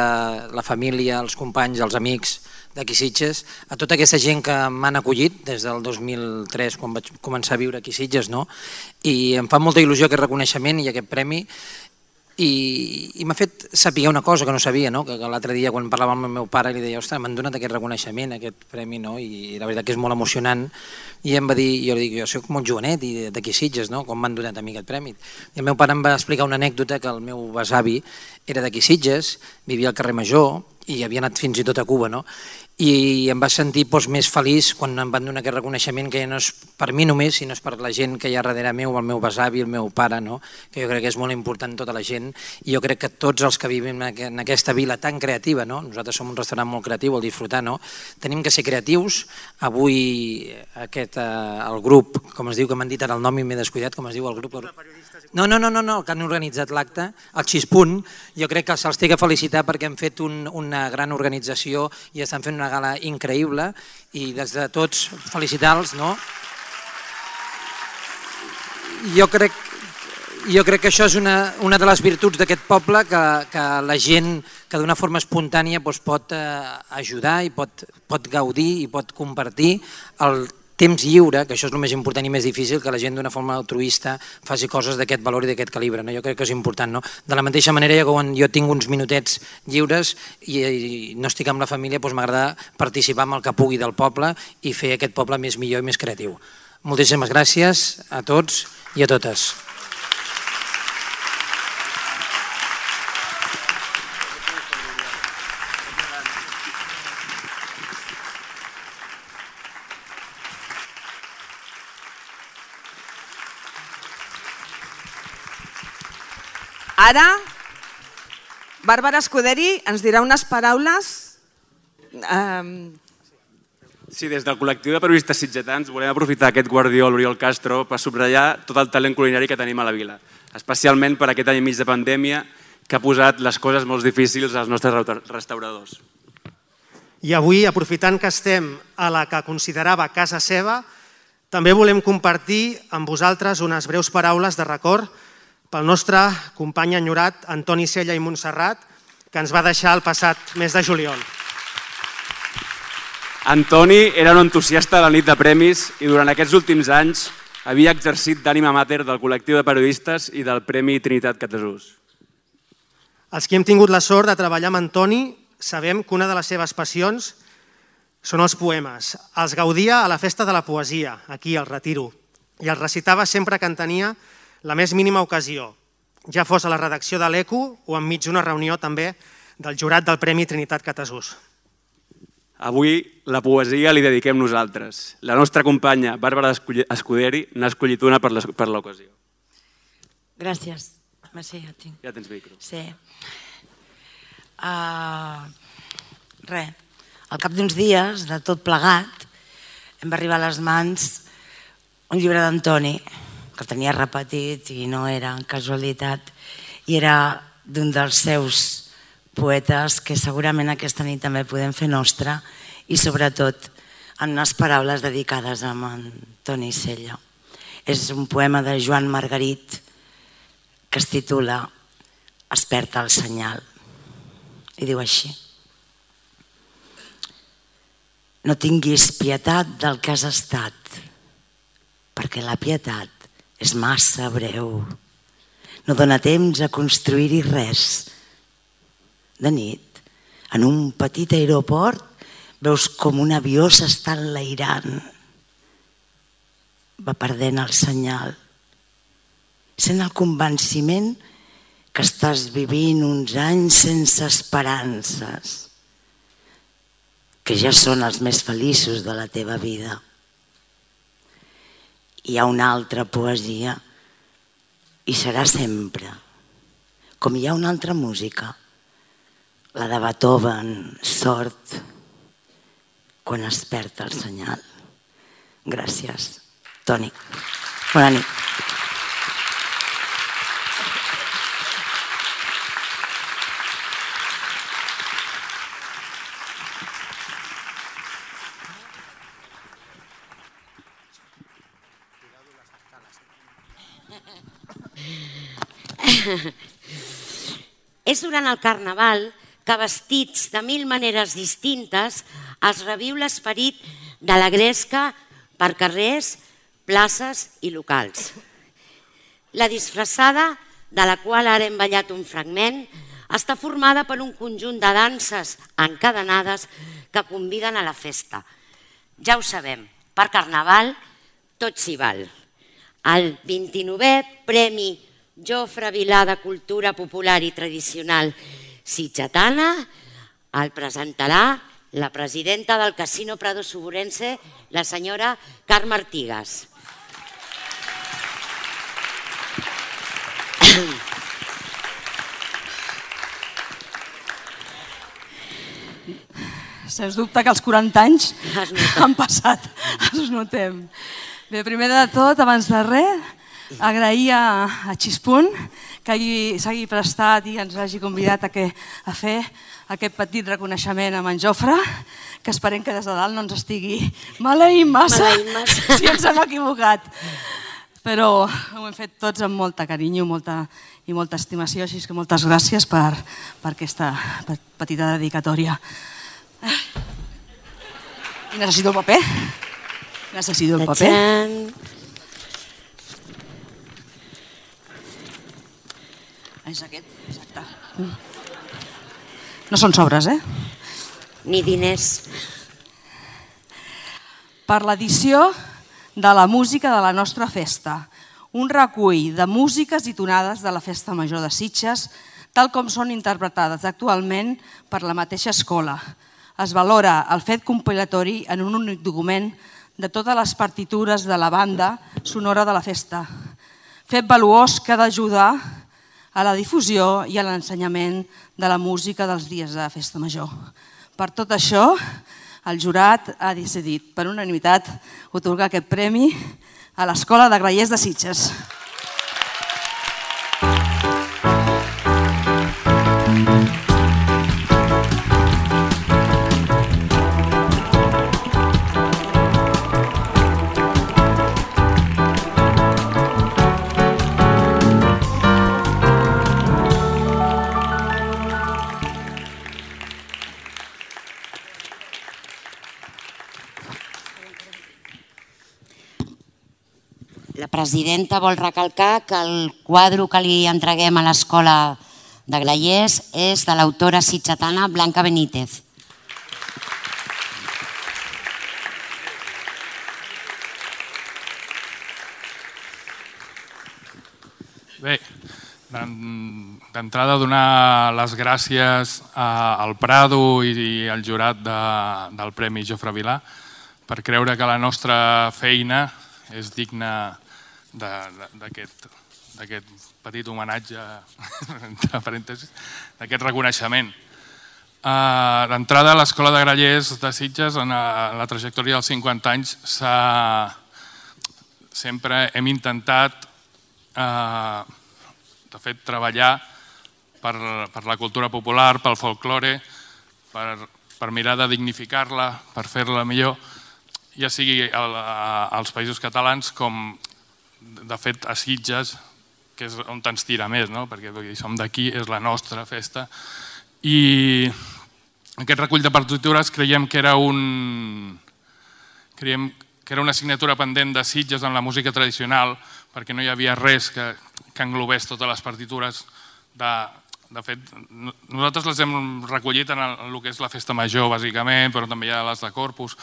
la família, els companys, els amics d'aquí Sitges, a tota aquesta gent que m'han acollit des del dos mil tres, quan vaig començar a viure aquí Sitges, no? I em fa molta il·lusió aquest reconeixement i aquest premi, i, i m'ha fet saber una cosa que no sabia, no? Que, que l'altre dia quan parlava amb el meu pare li deia, ostres, m'han donat aquest reconeixement, aquest premi, no? I la veritat que és molt emocionant, i em va dir, jo li dic, jo soc molt jovenet i d'aquí Sitges, no? Com m'han donat a mi aquest premi. I el meu pare em va explicar una anècdota que el meu besavi era d'aquí Sitges, vivia al carrer Major i havia anat fins i tot a Cuba, no? I em va sentir doncs, més feliç quan em van donar aquest reconeixement que ja no és per mi només, sinó és per la gent que hi ha darrere meu, el meu besavi, el meu pare, no? Que jo crec que és molt important tota la gent, i jo crec que tots els que vivim en aquesta vila tan creativa, no? Nosaltres som un restaurant molt creatiu, el Disfrutar, no? Tenim que ser creatius. Avui aquest, eh, el grup, com es diu, que m'han dit ara el nom i m'he descuidat, com es diu el grup? No, no, no, no, no, que han organitzat l'acte, el Xispunt, jo crec que se'ls té que felicitar perquè han fet un, una gran organització i estan fent una gala increïble, i des de tots felicitar-los, no? Jo crec, jo crec que això és una, una de les virtuts d'aquest poble, que, que la gent que d'una forma espontània doncs, pot eh, ajudar i pot, pot gaudir i pot compartir el temps lliure, que això és el més important i més difícil, que la gent d'una forma altruista faci coses d'aquest valor i d'aquest calibre, no? Jo crec que és important, no? De la mateixa manera, quan jo tinc uns minutets lliures i, i no estic amb la família, doncs m'agrada participar amb el que pugui del poble i fer aquest poble més millor i més creatiu. Moltíssimes gràcies a tots i a totes. Ara, Bàrbara Escuderi ens dirà unes paraules. Eh... Sí, des del col·lectiu de periodistes sitgetans volem aprofitar aquest guardiol Oriol Castro per subratllar tot el talent culinari que tenim a la vila, especialment per aquest any i mig de pandèmia que ha posat les coses molt difícils als nostres restauradors. I avui, aprofitant que estem a la que considerava casa seva, també volem compartir amb vosaltres unes breus paraules de record pel nostre company enyorat Antoni Sella i Montserrat, que ens va deixar el passat mes de juliol. Antoni era un entusiasta de la nit de premis i durant aquests últims anys havia exercit d'ànima mater del col·lectiu de periodistes i del Premi Trinitat Catasús. Els que hem tingut la sort de treballar amb Antoni sabem que una de les seves passions són els poemes. Els gaudia a la festa de la poesia, aquí al Retiro, i els recitava sempre que en tenia la més mínima ocasió, ja fos a la redacció de l'Eco o enmig d'una reunió també del jurat del Premi Trinitat Catasús. Avui la poesia li dediquem nosaltres. La nostra companya Bàrbara Escuderi n'ha escollit una per l'ocasió. Gràcies. Merci, ja tinc. Ja tens micro. Sí. Uh, res, al cap d'uns dies, de tot plegat, em va arribar a les mans un llibre d'Antoni, que el tenia repetit i no era casualitat, i era d'un dels seus poetes que segurament aquesta nit també podem fer nostra i sobretot en unes paraules dedicades a Antoni Sella. És un poema de Joan Margarit que es titula Esperta el senyal i diu així: no tinguis pietat del que has estat, perquè la pietat és massa breu. No dona temps a construir-hi res. De nit, en un petit aeroport, veus com un avió s'està enlairant. Va perdent el senyal. Sent el convenciment que estàs vivint uns anys sense esperances, que ja són els més feliços de la teva vida. Hi ha una altra poesia i serà sempre, com hi ha una altra música, la de Beethoven, Sort, quan es perd el senyal. Gràcies, Toni. Bona nit. És durant el Carnaval que vestits de mil maneres distintes es reviu l'esperit de la gresca per carrers, places i locals. La disfressada, de la qual ara hem ballat un fragment, està formada per un conjunt de danses encadenades que conviden a la festa. Ja ho sabem, per Carnaval tot s'hi val. El vint-i-novè Premi Jofre Vilà de Cultura Popular i Tradicional sitgetana el presentarà la presidenta del Casino Prado Suburense, la senyora Carme Artigas. Sens dubte que els quaranta anys han passat, els notem. Bé, primer de tot, abans de res, agrair a Xispunt que s'hagi prestat i ens hagi convidat a fer aquest petit reconeixement a en Jofre, que esperem que des de dalt no ens estigui maleint massa si ens hem equivocat. Però ho hem fet tots amb molta carinyo i molta estimació, així que moltes gràcies per aquesta petita dedicatòria. I necessito el paper. Necessito el paper. És aquest, exacte. No són sobres, eh? Ni diners. Per l'edició de la música de la nostra festa, un recull de músiques i tonades de la Festa Major de Sitges, tal com són interpretades actualment per la mateixa escola. Es valora el fet compilatori en un únic document de totes les partitures de la banda sonora de la festa. Fet valuós que ha d'ajudar a la difusió i a l'ensenyament de la música dels dies de Festa Major. Per tot això, el jurat ha decidit per unanimitat atorgar aquest premi a l'Escola de Grallers de Sitges. presidenta vol recalcar que el quadre que li entreguem a l'Escola de Grallers és de l'autora sitgetana Blanca Benítez. Bé, d'entrada donar les gràcies al Prado i al jurat del Premi Jofre Vilà per creure que la nostra feina és digna d'aquest petit homenatge, entre parèntesis, d'aquest reconeixement. D'entrada, a l'Escola de Grallers de Sitges, en la trajectòria dels cinquanta anys, sempre hem intentat de fet, treballar per la cultura popular, pel folklore, per mirar de dignificar-la, per fer-la millor, ja sigui als Països Catalans com, de fet, a Sitges, que és on ens tira més, perquè som d'aquí, és la nostra festa. I aquest recull de partitures creiem que era un... creiem que era una assignatura pendent de Sitges en la música tradicional, perquè no hi havia res que englobés totes les partitures. De fet, nosaltres les hem recollit en el que és la festa major, bàsicament, però també hi ha les de Corpus.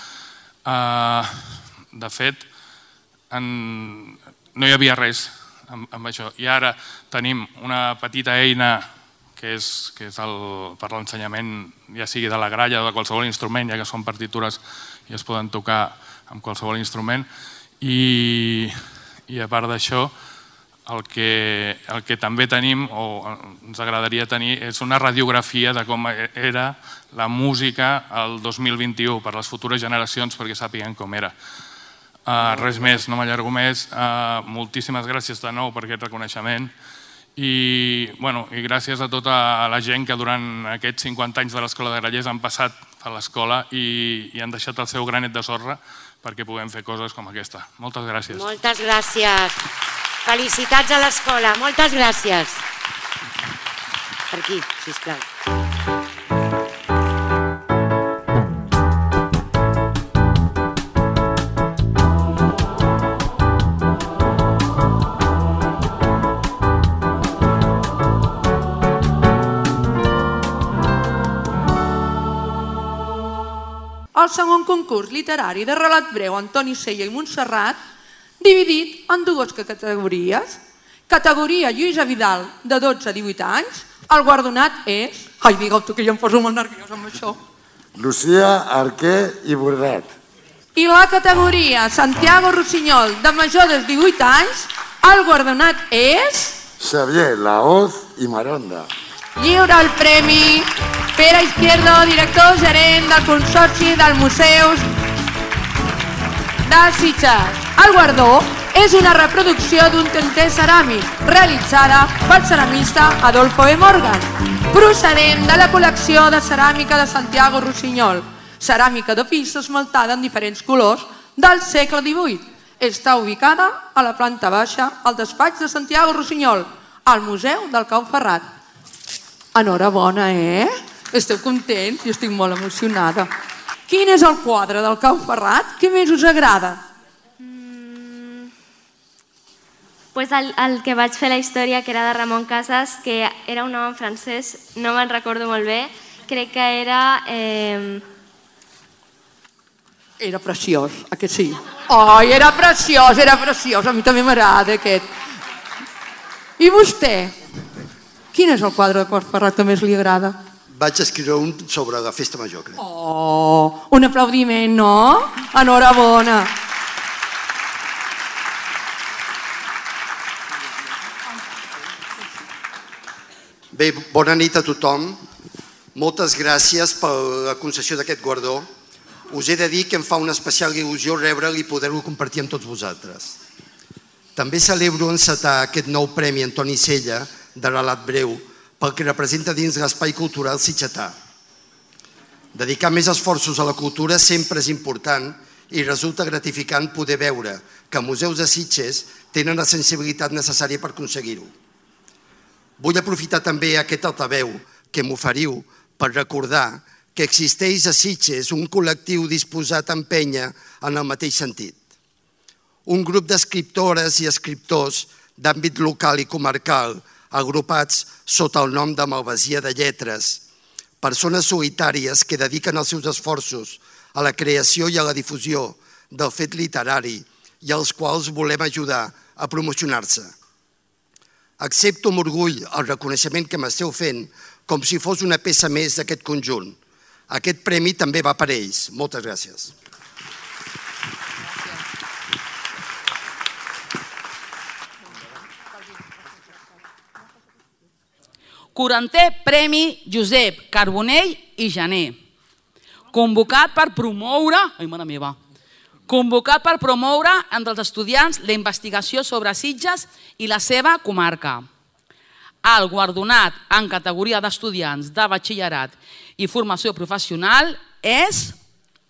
De fet, no hi havia res amb això. I ara tenim una petita eina que és per l'ensenyament, ja sigui de la gralla o de qualsevol instrument, ja que són partitures i es poden tocar amb qualsevol instrument. I a part d'això, el que també tenim, o ens agradaria tenir, és una radiografia de com era la música el dos mil vint-i-u per les futures generacions, perquè sàpiguen com era. Res més, no m'allargo més. Moltíssimes gràcies de nou per aquest reconeixement i gràcies a tota la gent que durant aquests cinquanta anys de l'Escola de Grallers han passat a l'escola i han deixat el seu granet de sorra perquè puguem fer coses com aquesta. Moltes gràcies. Moltes gràcies. Felicitats a l'escola. Moltes gràcies. Per aquí, sisplau. El segon concurs literari de relat breu Antoni Sella i Montserrat, dividit en dues categories. Categoria Lluïsa Vidal, de dotze a divuit anys. El guardonat és... Ai, digue'l tu, que ja em poso molt nerviós amb això. Lucía Arquer i Bordet. I la categoria Santiago Rossinyol, de major de divuit anys. El guardonat és... Xavier Laoz i Maronda. Lliura el premi Pere Izquierdo, director gerent del Consorci dels Museus de Sitges. El guardó és una reproducció d'un tinter ceràmic realitzada pel ceramista Adolfo B. Morgan, procedent de la col·lecció de ceràmica de Santiago Rossinyol, ceràmica de pis esmaltada en diferents colors del segle divuit. Està ubicada a la planta baixa al despatx de Santiago Rossinyol, al Museu del Cau Ferrat. Enhorabona, eh? Esteu contents? Jo estic molt emocionada. Quin és el quadre del Cau Ferrat que més us agrada? Pues el, el que vaig fer la història, que era de Ramon Casas, que era un home francès, no me'n recordo molt bé, crec que era... Eh... Era preciós, a que sí? Ai, era preciós, era preciós, a mi també m'agrada aquest. I vostè? Quin és el quadre de Cau Ferrat que més li agrada? Vaig escriure un sobre la festa major, crec. Oh, un aplaudiment, no? Enhorabona. Bé, bona nit a tothom. Moltes gràcies per la concessió d'aquest guardó. Us he de dir que em fa una especial il·lusió rebre'l i poder-lo compartir amb tots vosaltres. També celebro encetar aquest nou Premi Antoni Sella de relat breu pel que representa dins l'espai cultural sitgetà. Dedicar més esforços a la cultura sempre és important i resulta gratificant poder veure que museus de Sitges tenen la sensibilitat necessària per aconseguir-ho. Vull aprofitar també aquest altaveu que m'oferiu per recordar que existeix a Sitges un col·lectiu disposat a empènyer en el mateix sentit. un grup d'escriptores i escriptors d'àmbit local i comarcal, agrupats sota el nom de Malvasia de Lletres, persones solitàries que dediquen els seus esforços a la creació i a la difusió del fet literari i als quals volem ajudar a promocionar-se. Accepto amb orgull el reconeixement que m'esteu fent com si fos una peça més d'aquest conjunt. Aquest premi també va per ells. Moltes gràcies. quarantè Premi Josep Carbonell i Jané, convocat per promoure, ai mare meva, convocat per promoure entre els estudiants la investigació sobre Sitges i la seva comarca. El guardonat en categoria d'estudiants de batxillerat i formació professional és...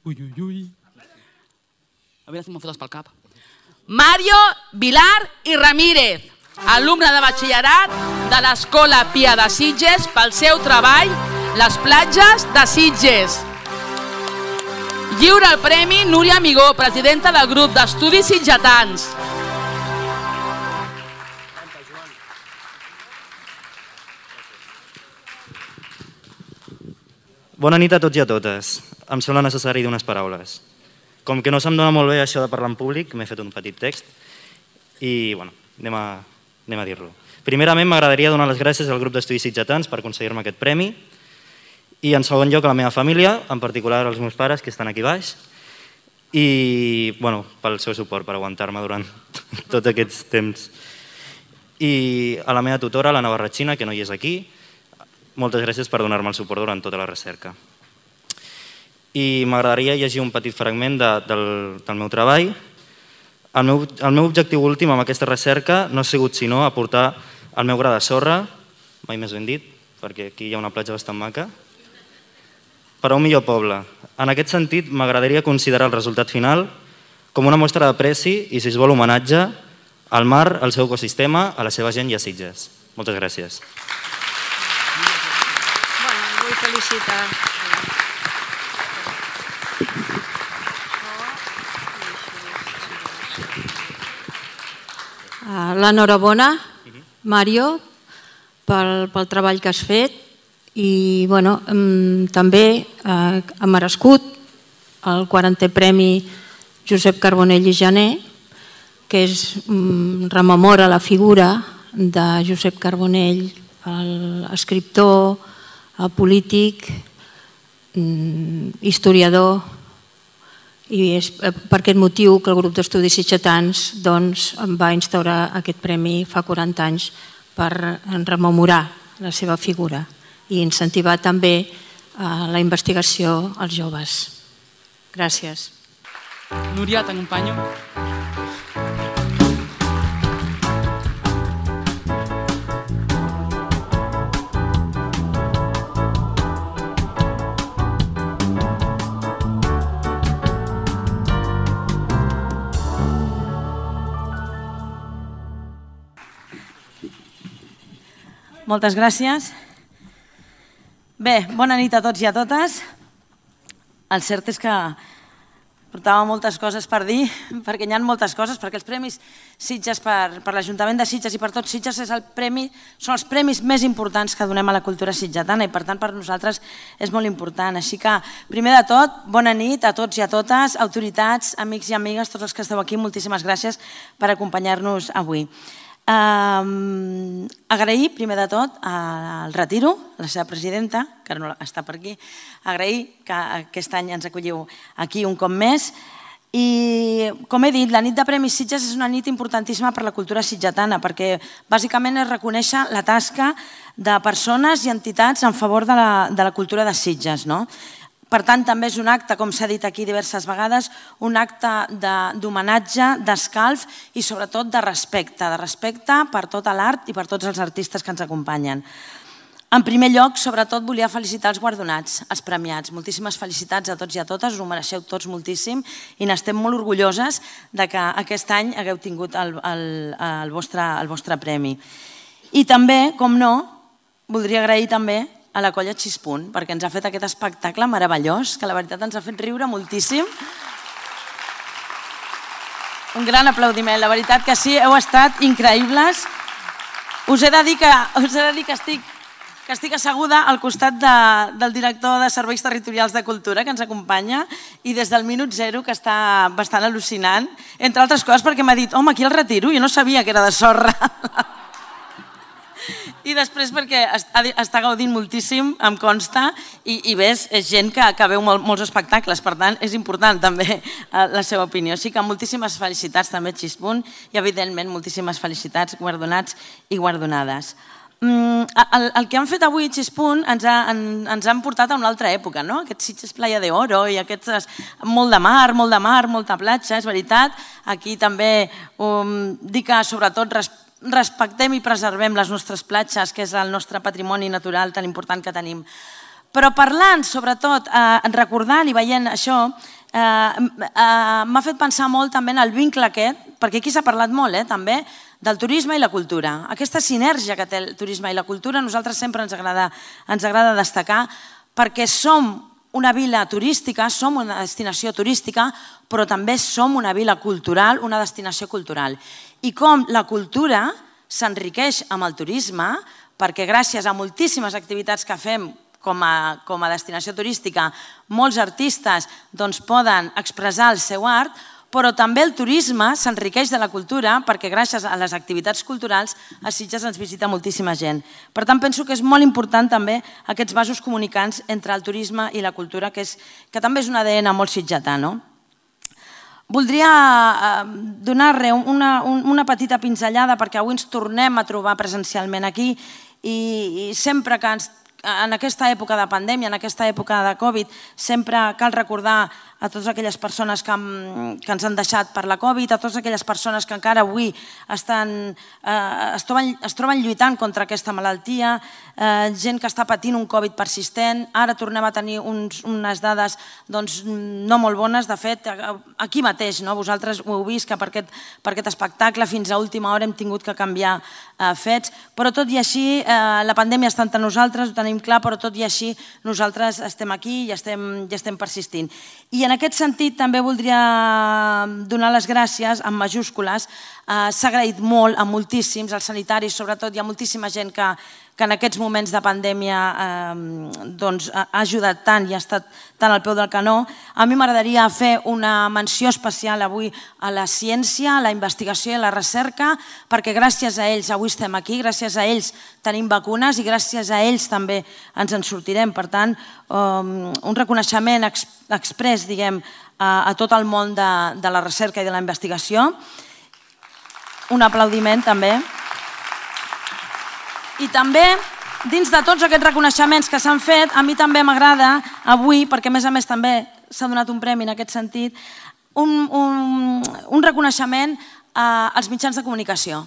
Ui, ui, ui. A veure si m'ho fotes pel cap. Mario Vilar i Ramírez, alumne de batxillerat de l'Escola Pia de Sitges pel seu treball Les platges de Sitges. Lliura el premi Núria Amigó, presidenta del grup d'estudis sitgetans. Bona nit a tots i a totes. Em sembla necessari dir unes paraules. Com que no se'm dona molt bé això de parlar en públic, m'he fet un petit text i, bueno, anem a, anem a dir-lo. Primerament, m'agradaria donar les gràcies al grup d'estudis sitgetans per aconseguir-me aquest premi i, en segon lloc, a la meva família, en particular als meus pares, que estan aquí baix, i, bueno, pel seu suport, per aguantar-me durant tots aquests temps. I a la meva tutora, l'Anna Barratxina, que no hi és aquí, moltes gràcies per donar-me el suport durant tota la recerca. I m'agradaria llegir un petit fragment de, del, del meu treball. El meu, el meu objectiu últim amb aquesta recerca no ha sigut sinó aportar el meu gra de sorra, mai més ben dit, perquè aquí hi ha una platja bastant maca, per a un millor poble. En aquest sentit, m'agradaria considerar el resultat final com una mostra d'apreci i, si es vol, homenatge al mar, al seu ecosistema, a la seva gent i a Sitges. Moltes gràcies. Vull felicitar. L'enhorabona, Mario, pel, pel treball que has fet i bueno, també eh, ha merescut el quarantè Premi Josep Carbonell i Jané, que és, rememora la figura de Josep Carbonell, l'escriptor, el polític, historiador, i és per aquest motiu que el grup d'estudis sitgetans doncs, va instaurar aquest premi fa quaranta anys per rememorar la seva figura i incentivar també la investigació als joves. Gràcies. Núria, t'acompanyo. Moltes gràcies. Bé, bona nit a tots i a totes. El cert és que portava moltes coses per dir, perquè hi ha moltes coses, perquè els Premis Sitges per, per l'Ajuntament de Sitges i per tots Sitges és el premi, són els premis més importants que donem a la cultura sitgetana i per tant per nosaltres és molt important. Així que, primer de tot, bona nit a tots i a totes, autoritats, amics i amigues, tots els que esteu aquí, moltíssimes gràcies per acompanyar-nos avui. Um, agrair primer de tot al Retiro, la seva presidenta, que ara no està per aquí, agrair que aquest any ens acolliu aquí un cop més i, com he dit, la nit de Premis Sitges és una nit importantíssima per la cultura sitgetana perquè bàsicament és reconèixer la tasca de persones i entitats en favor de la, de la cultura de Sitges, no? Per tant, també és un acte, com s'ha dit aquí diverses vegades, un acte d'homenatge, d'escalf i sobretot de respecte, de respecte per tota l'art i per tots els artistes que ens acompanyen. En primer lloc, sobretot, volia felicitar els guardonats, els premiats. Moltíssimes felicitats a tots i a totes, us ho mereixeu tots moltíssim i n'estem molt orgulloses de que aquest any hagueu tingut el, el, el, vostre, el vostre premi. I també, com no, voldria agrair també a la colla Xispunt, perquè ens ha fet aquest espectacle meravellós, que la veritat ens ha fet riure moltíssim. Un gran aplaudiment, la veritat que sí, heu estat increïbles. Us he de dir que, us he de dir que estic que estic asseguda al costat de, del director de Serveis Territorials de Cultura, que ens acompanya, i des del minut zero, que està bastant al·lucinant, entre altres coses perquè m'ha dit, home, aquí el retiro, jo no sabia que era de sorra. I després perquè està gaudint moltíssim, em consta, i, i ves, és gent que, que veu mol, molts espectacles, per tant, és important també la seva opinió. Així que moltíssimes felicitats també, Xispunt, i evidentment moltíssimes felicitats, guardonats i guardonades. El, el que han fet avui Xispunt ens, ha, en, ens han portat a una altra època, no? Aquests Sitges Playa de Oro i aquests... Molt de mar, molt de mar, molta platja, és veritat. Aquí també um, dic que sobretot respectem i preservem les nostres platges, que és el nostre patrimoni natural tan important que tenim. Però parlant, sobretot, eh, recordant i veient això, eh, eh, m'ha fet pensar molt també en el vincle aquest, perquè aquí s'ha parlat molt, eh, també, del turisme i la cultura. Aquesta sinergia que té el turisme i la cultura a nosaltres sempre ens agrada, ens agrada destacar, perquè som una vila turística, som una destinació turística, però també som una vila cultural, una destinació cultural. I com la cultura s'enriqueix amb el turisme, perquè gràcies a moltíssimes activitats que fem com a, com a destinació turística, molts artistes doncs, poden expressar el seu art, però també el turisme s'enriqueix de la cultura perquè gràcies a les activitats culturals a Sitges ens visita moltíssima gent. Per tant, penso que és molt important també aquests vasos comunicants entre el turisme i la cultura, que, és, que també és un A D N molt sitgetà, no? Voldria donar una, una petita pinzellada perquè avui ens tornem a trobar presencialment aquí i, i sempre que ens, en aquesta època de pandèmia, en aquesta època de Covid, sempre cal recordar a totes aquelles persones que, que ens han deixat per la Covid, a totes aquelles persones que encara avui estan, eh, es, troben, es troben lluitant contra aquesta malaltia, eh, gent que està patint un Covid persistent. Ara tornem a tenir uns, unes dades doncs, no molt bones. De fet, aquí mateix, no? Vosaltres ho heu vist, que per aquest, per aquest espectacle fins a última hora hem tingut que canviar eh, fets, però tot i així eh, la pandèmia està entre nosaltres, ho tenim clar, però tot i així nosaltres estem aquí i estem, i estem persistint. I en aquest sentit també voldria donar les gràcies en majúscules. S'ha agraït molt a moltíssims, als sanitaris sobretot, hi ha moltíssima gent que, que en aquests moments de pandèmia eh, doncs, ha ajudat tant i ha estat tant al peu del canó. A mi m'agradaria fer una menció especial avui a la ciència, a la investigació i a la recerca, perquè gràcies a ells avui estem aquí, gràcies a ells tenim vacunes i gràcies a ells també ens en sortirem. Per tant, un reconeixement exprés, diguem, a tot el món de, de la recerca i de la investigació. Un aplaudiment també. I també, dins de tots aquests reconeixements que s'han fet, a mi també m'agrada avui, perquè a més a més també s'ha donat un premi en aquest sentit, un, un, un reconeixement als mitjans de comunicació.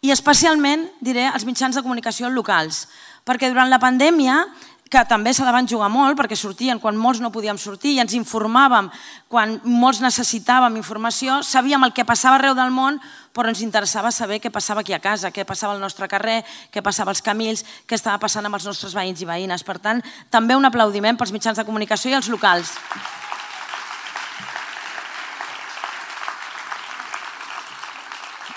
I especialment, diré, als mitjans de comunicació locals, perquè durant la pandèmia, que també se la van jugar molt perquè sortien quan molts no podíem sortir i ens informàvem quan molts necessitàvem informació, sabíem el que passava arreu del món, però ens interessava saber què passava aquí a casa, què passava al nostre carrer, què passava als camins, què estava passant amb els nostres veïns i veïnes. Per tant, també un aplaudiment pels mitjans de comunicació i els locals.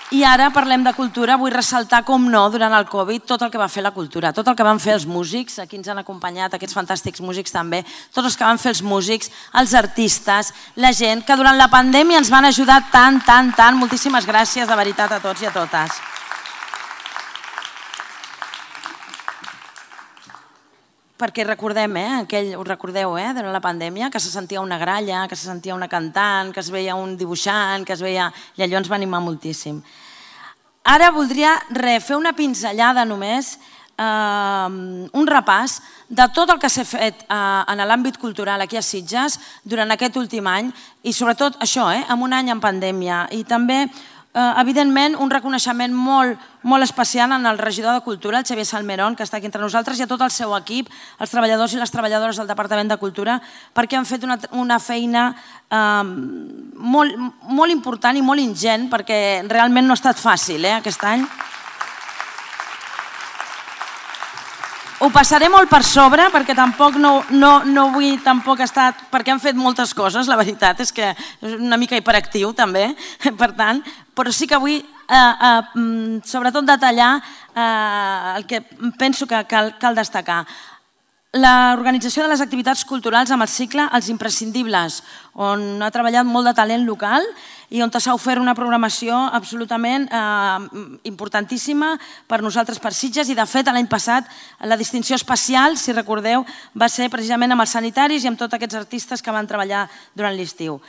I ara parlem de cultura, vull ressaltar, com no, durant el Covid, tot el que va fer la cultura, tot el que van fer els músics, aquí ens han acompanyat aquests fantàstics músics també, tots els que van fer els músics, els artistes, la gent, que durant la pandèmia ens van ajudar tant, tant, tant. Moltíssimes gràcies, de veritat, a tots i a totes. Perquè recordem, eh, aquell, us recordeu, eh, durant la pandèmia, que se sentia una gralla, que se sentia una cantant, que es veia un dibuixant, que es veia... I allò ens va animar moltíssim. Ara voldria re, fer una pinzellada només, eh, un repàs de tot el que s'ha fet eh, en l'àmbit cultural aquí a Sitges durant aquest últim any i sobretot això, eh, en un any en pandèmia. I també, eh, evidentment, un reconeixement molt, molt especial en el regidor de Cultura, el Xavier Salmerón, que està aquí entre nosaltres, i a tot el seu equip, els treballadors i les treballadores del Departament de Cultura, perquè han fet una, una feina eh, molt, molt important i molt ingent, perquè realment no ha estat fàcil eh, aquest any. ho passaré molt per sobre perquè tampoc no, no, no vull tampoc estar... perquè han fet moltes coses, la veritat és que és una mica hiperactiu també, per tant, però sí que vull eh, eh, sobretot detallar eh, el que penso que cal, cal destacar. L'organització de les activitats culturals amb el cicle Els Imprescindibles, on ha treballat molt de talent local i on s'ha ofert una programació absolutament eh, importantíssima per nosaltres, per Sitges, i de fet l'any passat la distinció especial, si recordeu, va ser precisament amb els sanitaris i amb tots aquests artistes que van treballar durant l'estiu.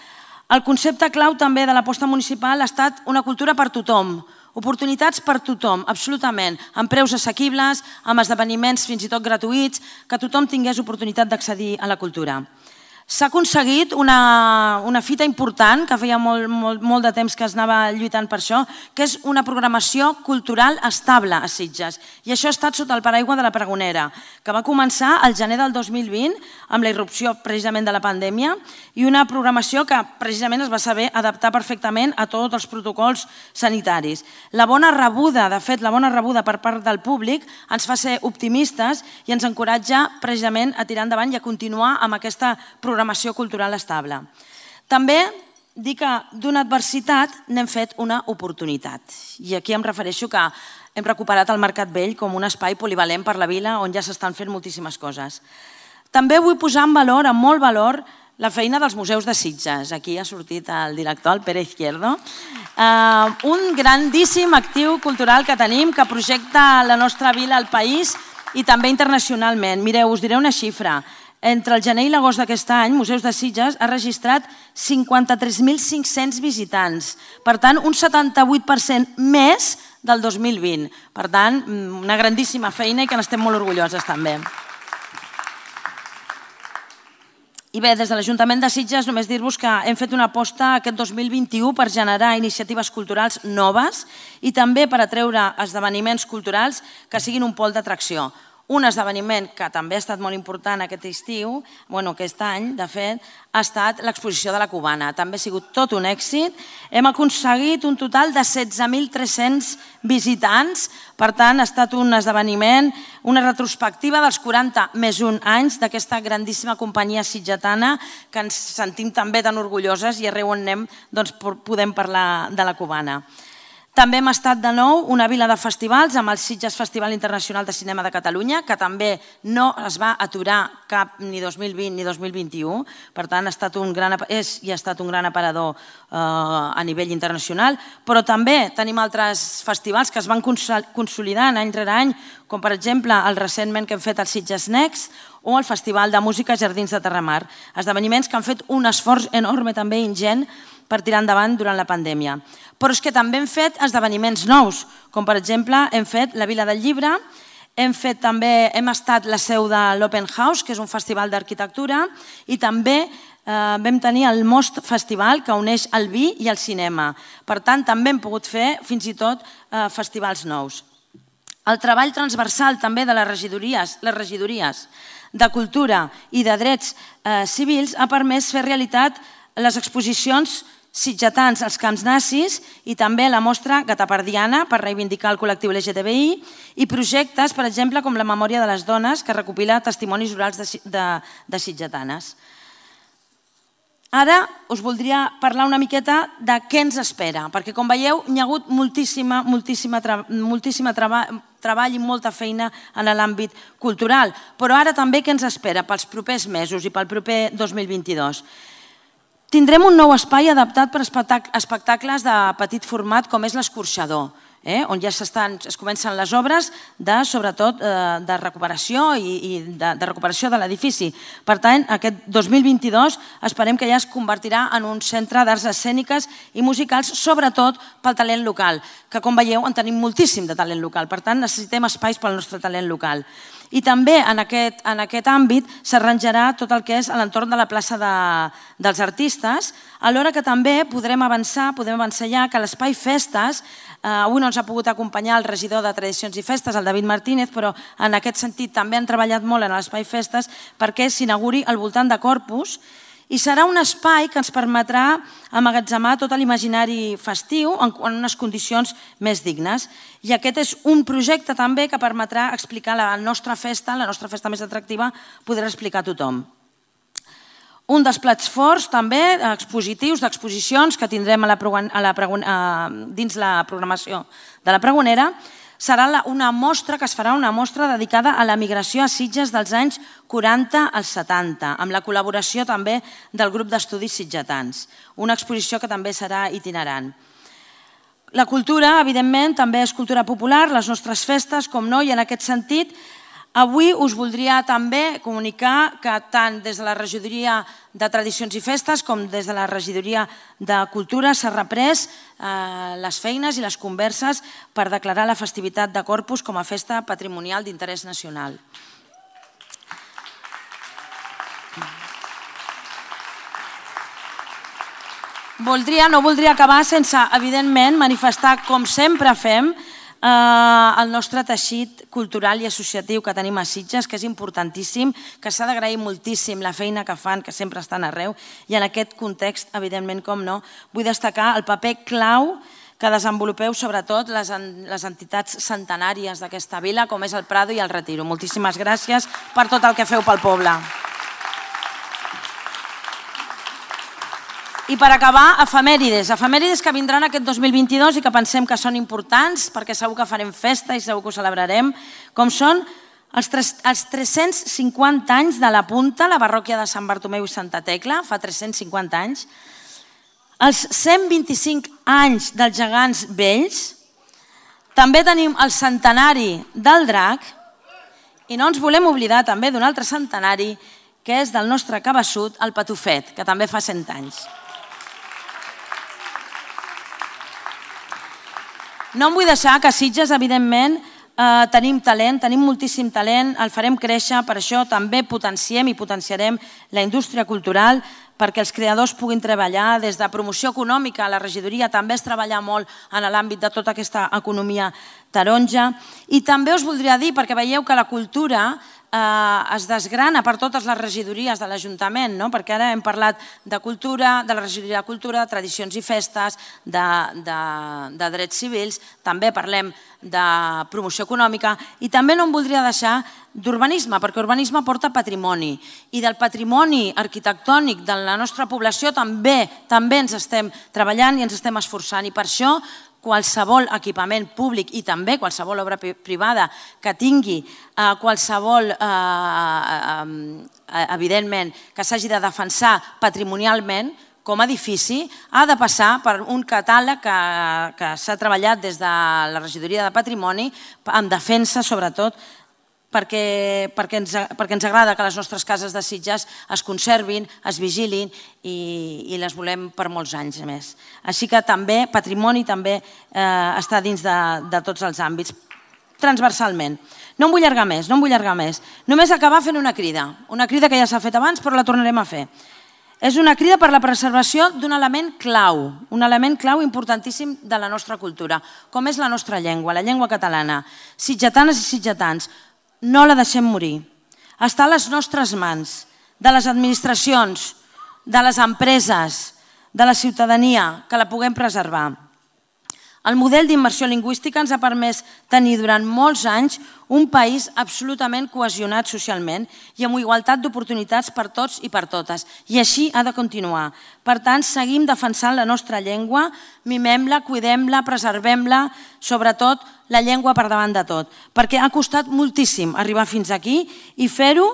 El concepte clau també de l'aposta municipal ha estat una cultura per tothom, oportunitats per tothom, absolutament, amb preus assequibles, amb esdeveniments fins i tot gratuïts, que tothom tingués oportunitat d'accedir a la cultura. S'ha aconseguit una, una fita important, que feia molt, molt, molt de temps que es anava lluitant per això, que és una programació cultural estable a Sitges. I això ha estat sota el paraigua de la Pregonera, que va començar al gener del dos mil vint, amb la irrupció precisament de la pandèmia, i una programació que precisament es va saber adaptar perfectament a tots els protocols sanitaris. La bona rebuda, de fet, la bona rebuda per part del públic ens fa ser optimistes i ens encoratja precisament a tirar endavant i a continuar amb aquesta programació programació cultural estable. També dir que d'una adversitat n'hem fet una oportunitat. I aquí em refereixo que hem recuperat el Mercat Vell com un espai polivalent per la vila on ja s'estan fent moltíssimes coses. També vull posar en valor, en molt valor, la feina dels museus de Sitges. Aquí ha sortit el director, el Pere Izquierdo. Un grandíssim actiu cultural que tenim, que projecta la nostra vila al país i també internacionalment. Mireu, us diré una xifra. Entre el gener i l'agost d'aquest any, Museus de Sitges ha registrat cinquanta-tres mil cinc-cents visitants. Per tant, un setanta-vuit per cent més del dos mil vint. Per tant, una grandíssima feina i que n'estem molt orgulloses també. I bé, des de l'Ajuntament de Sitges només dir-vos que hem fet una aposta aquest dos mil vint-i-u per generar iniciatives culturals noves i també per atreure esdeveniments culturals que siguin un pol d'atracció. Un esdeveniment que també ha estat molt important aquest estiu, bueno, aquest any, de fet, ha estat l'exposició de la Cubana. També ha sigut tot un èxit. Hem aconseguit un total de setze mil tres-cents visitants. Per tant, ha estat un esdeveniment, una retrospectiva dels quaranta més un anys d'aquesta grandíssima companyia sitgetana que ens sentim també tan orgulloses i arreu on anem doncs, podem parlar de la Cubana. També hem estat de nou una vila de festivals amb el Sitges Festival Internacional de Cinema de Catalunya, que també no es va aturar cap ni dos mil vint ni dos mil vint-i-u. Per tant, ha estat un gran, és i ha estat un gran aparador eh, a nivell internacional. Però també tenim altres festivals que es van consolidant any rere any, com per exemple el recentment que hem fet al Sitges Next o el Festival de Música Jardins de Terramar. Esdeveniments que han fet un esforç enorme també ingent per tirar endavant durant la pandèmia. Però és que també hem fet esdeveniments nous, com per exemple hem fet la Vila del Llibre, hem fet també, hem estat la seu de l'Open House, que és un festival d'arquitectura, i també eh, vam tenir el Most Festival, que uneix el vi i el cinema. Per tant, també hem pogut fer fins i tot eh, festivals nous. El treball transversal també de les regidories, les regidories de Cultura i de Drets eh, Civils ha permès fer realitat les exposicions sitgetans als camps nazis i també la mostra Gatapardiana per reivindicar el col·lectiu L G T B I i projectes, per exemple, com la Memòria de les Dones, que recopila testimonis orals de, de, de sitgetanes. Ara us voldria parlar una miqueta de què ens espera, perquè com veieu hi ha hagut moltíssima, moltíssima, moltíssima treba, treball i molta feina en l'àmbit cultural, però ara també què ens espera pels propers mesos i pel proper dos mil vint-i-dos. Tindrem un nou espai adaptat per espectacles de petit format com és l'Escorxador, eh? on ja es comencen les obres de, sobretot eh, de recuperació i, i de, de recuperació de l'edifici. Per tant, aquest dos mil vint-i-dos esperem que ja es convertirà en un centre d'arts escèniques i musicals, sobretot pel talent local, que com veieu en tenim moltíssim de talent local, per tant necessitem espais pel nostre talent local. I també en aquest, en aquest àmbit s'arranjarà tot el que és a l'entorn de la plaça de, dels artistes, alhora que també podrem avançar, podem avançar ja que l'espai Festes, eh, avui no ens ha pogut acompanyar el regidor de Tradicions i Festes, el David Martínez, però en aquest sentit també han treballat molt en l'espai Festes perquè s'inauguri al voltant de Corpus i serà un espai que ens permetrà emmagatzemar tot l'imaginari festiu en unes condicions més dignes. I aquest és un projecte també que permetrà explicar la nostra festa, la nostra festa més atractiva, podrà explicar a tothom. Un dels plats forts també expositius, d'exposicions que tindrem dins la programació de la Pregonera serà una mostra que es farà una mostra dedicada a la migració a Sitges dels anys quaranta als setanta, amb la col·laboració també del grup d'estudis sitgetans. Una exposició que també serà itinerant. La cultura, evidentment, també és cultura popular, les nostres festes, com no, i en aquest sentit, avui us voldria també comunicar que tant des de la Regidoria de Tradicions i Festes com des de la Regidoria de Cultura s'ha reprès les feines i les converses per declarar la festivitat de Corpus com a festa patrimonial d'interès nacional. Voldria, no voldria acabar sense, evidentment, manifestar, com sempre fem, el nostre teixit cultural i associatiu que tenim a Sitges, que és importantíssim, que s'ha d'agrair moltíssim la feina que fan, que sempre estan arreu, i en aquest context, evidentment, com no, vull destacar el paper clau que desenvolupeu sobretot les entitats centenàries d'aquesta vila, com és el Prado i el Retiro. Moltíssimes gràcies per tot el que feu pel poble. I per acabar, efemèrides. Efemèrides que vindran aquest dos mil vint-i-dos i que pensem que són importants perquè segur que farem festa i segur que ho celebrarem, com són els tres-cents cinquanta anys de la Punta, la parròquia de Sant Bartomeu i Santa Tecla, fa tres-cents cinquanta anys, els cent vint-i-cinc anys dels Gegants Vells, també tenim el centenari del Drac i no ens volem oblidar també d'un altre centenari que és del nostre cabeçut, el Patufet, que també fa cent anys. No em vull deixar que a Sitges, evidentment, tenim talent, tenim moltíssim talent, el farem créixer, per això també potenciem i potenciarem la indústria cultural perquè els creadors puguin treballar des de promoció econòmica. A la regidoria també es treballa molt en l'àmbit de tota aquesta economia taronja. I també us voldria dir, perquè veieu que la cultura es desgrana per totes les regidories de l'Ajuntament, perquè ara hem parlat de cultura, de la regidoria de cultura, de tradicions i festes, de drets civils, també parlem de promoció econòmica i també no em voldria deixar d'urbanisme, perquè urbanisme porta patrimoni i del patrimoni arquitectònic de la nostra població també també ens estem treballant i ens estem esforçant i per això qualsevol equipament públic i també qualsevol obra privada que tingui qualsevol, evidentment, que s'hagi de defensar patrimonialment com a edifici, ha de passar per un catàleg que s'ha treballat des de la regidoria de patrimoni en defensa, sobretot, perquè ens agrada que les nostres cases de Sitges es conservin, es vigilin i les volem per molts anys més. Així que també, patrimoni també està dins de tots els àmbits, transversalment. No em vull allargar més, no em vull allargar més. Només acabar fent una crida, una crida que ja s'ha fet abans però la tornarem a fer. És una crida per la preservació d'un element clau, un element clau importantíssim de la nostra cultura, com és la nostra llengua, la llengua catalana. Sitgetanes i sitgetans, no la deixem morir. Està a les nostres mans, de les administracions, de les empreses, de la ciutadania, que la puguem preservar. El model d'immersió lingüística ens ha permès tenir durant molts anys un país absolutament cohesionat socialment i amb igualtat d'oportunitats per tots i per totes. I així ha de continuar. Per tant, seguim defensant la nostra llengua, mimem-la, cuidem-la, preservem-la, sobretot la llengua per davant de tot. Perquè ha costat moltíssim arribar fins aquí i fer-ho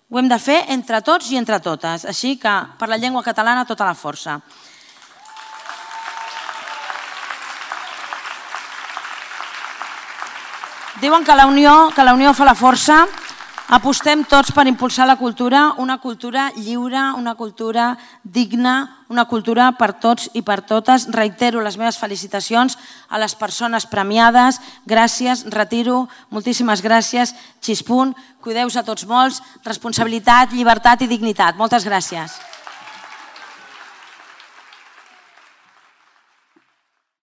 ho hem de fer entre tots i entre totes. Així que per la llengua catalana tota la força. Diuen que la unió fa la força. Apostem tots per impulsar la cultura, una cultura lliure, una cultura digna, una cultura per tots i per totes. Reitero les meves felicitacions a les persones premiades. Gràcies, Retiro, moltíssimes gràcies. Xispunt, cuideu-vos a tots molts. Responsabilitat, llibertat i dignitat. Moltes gràcies.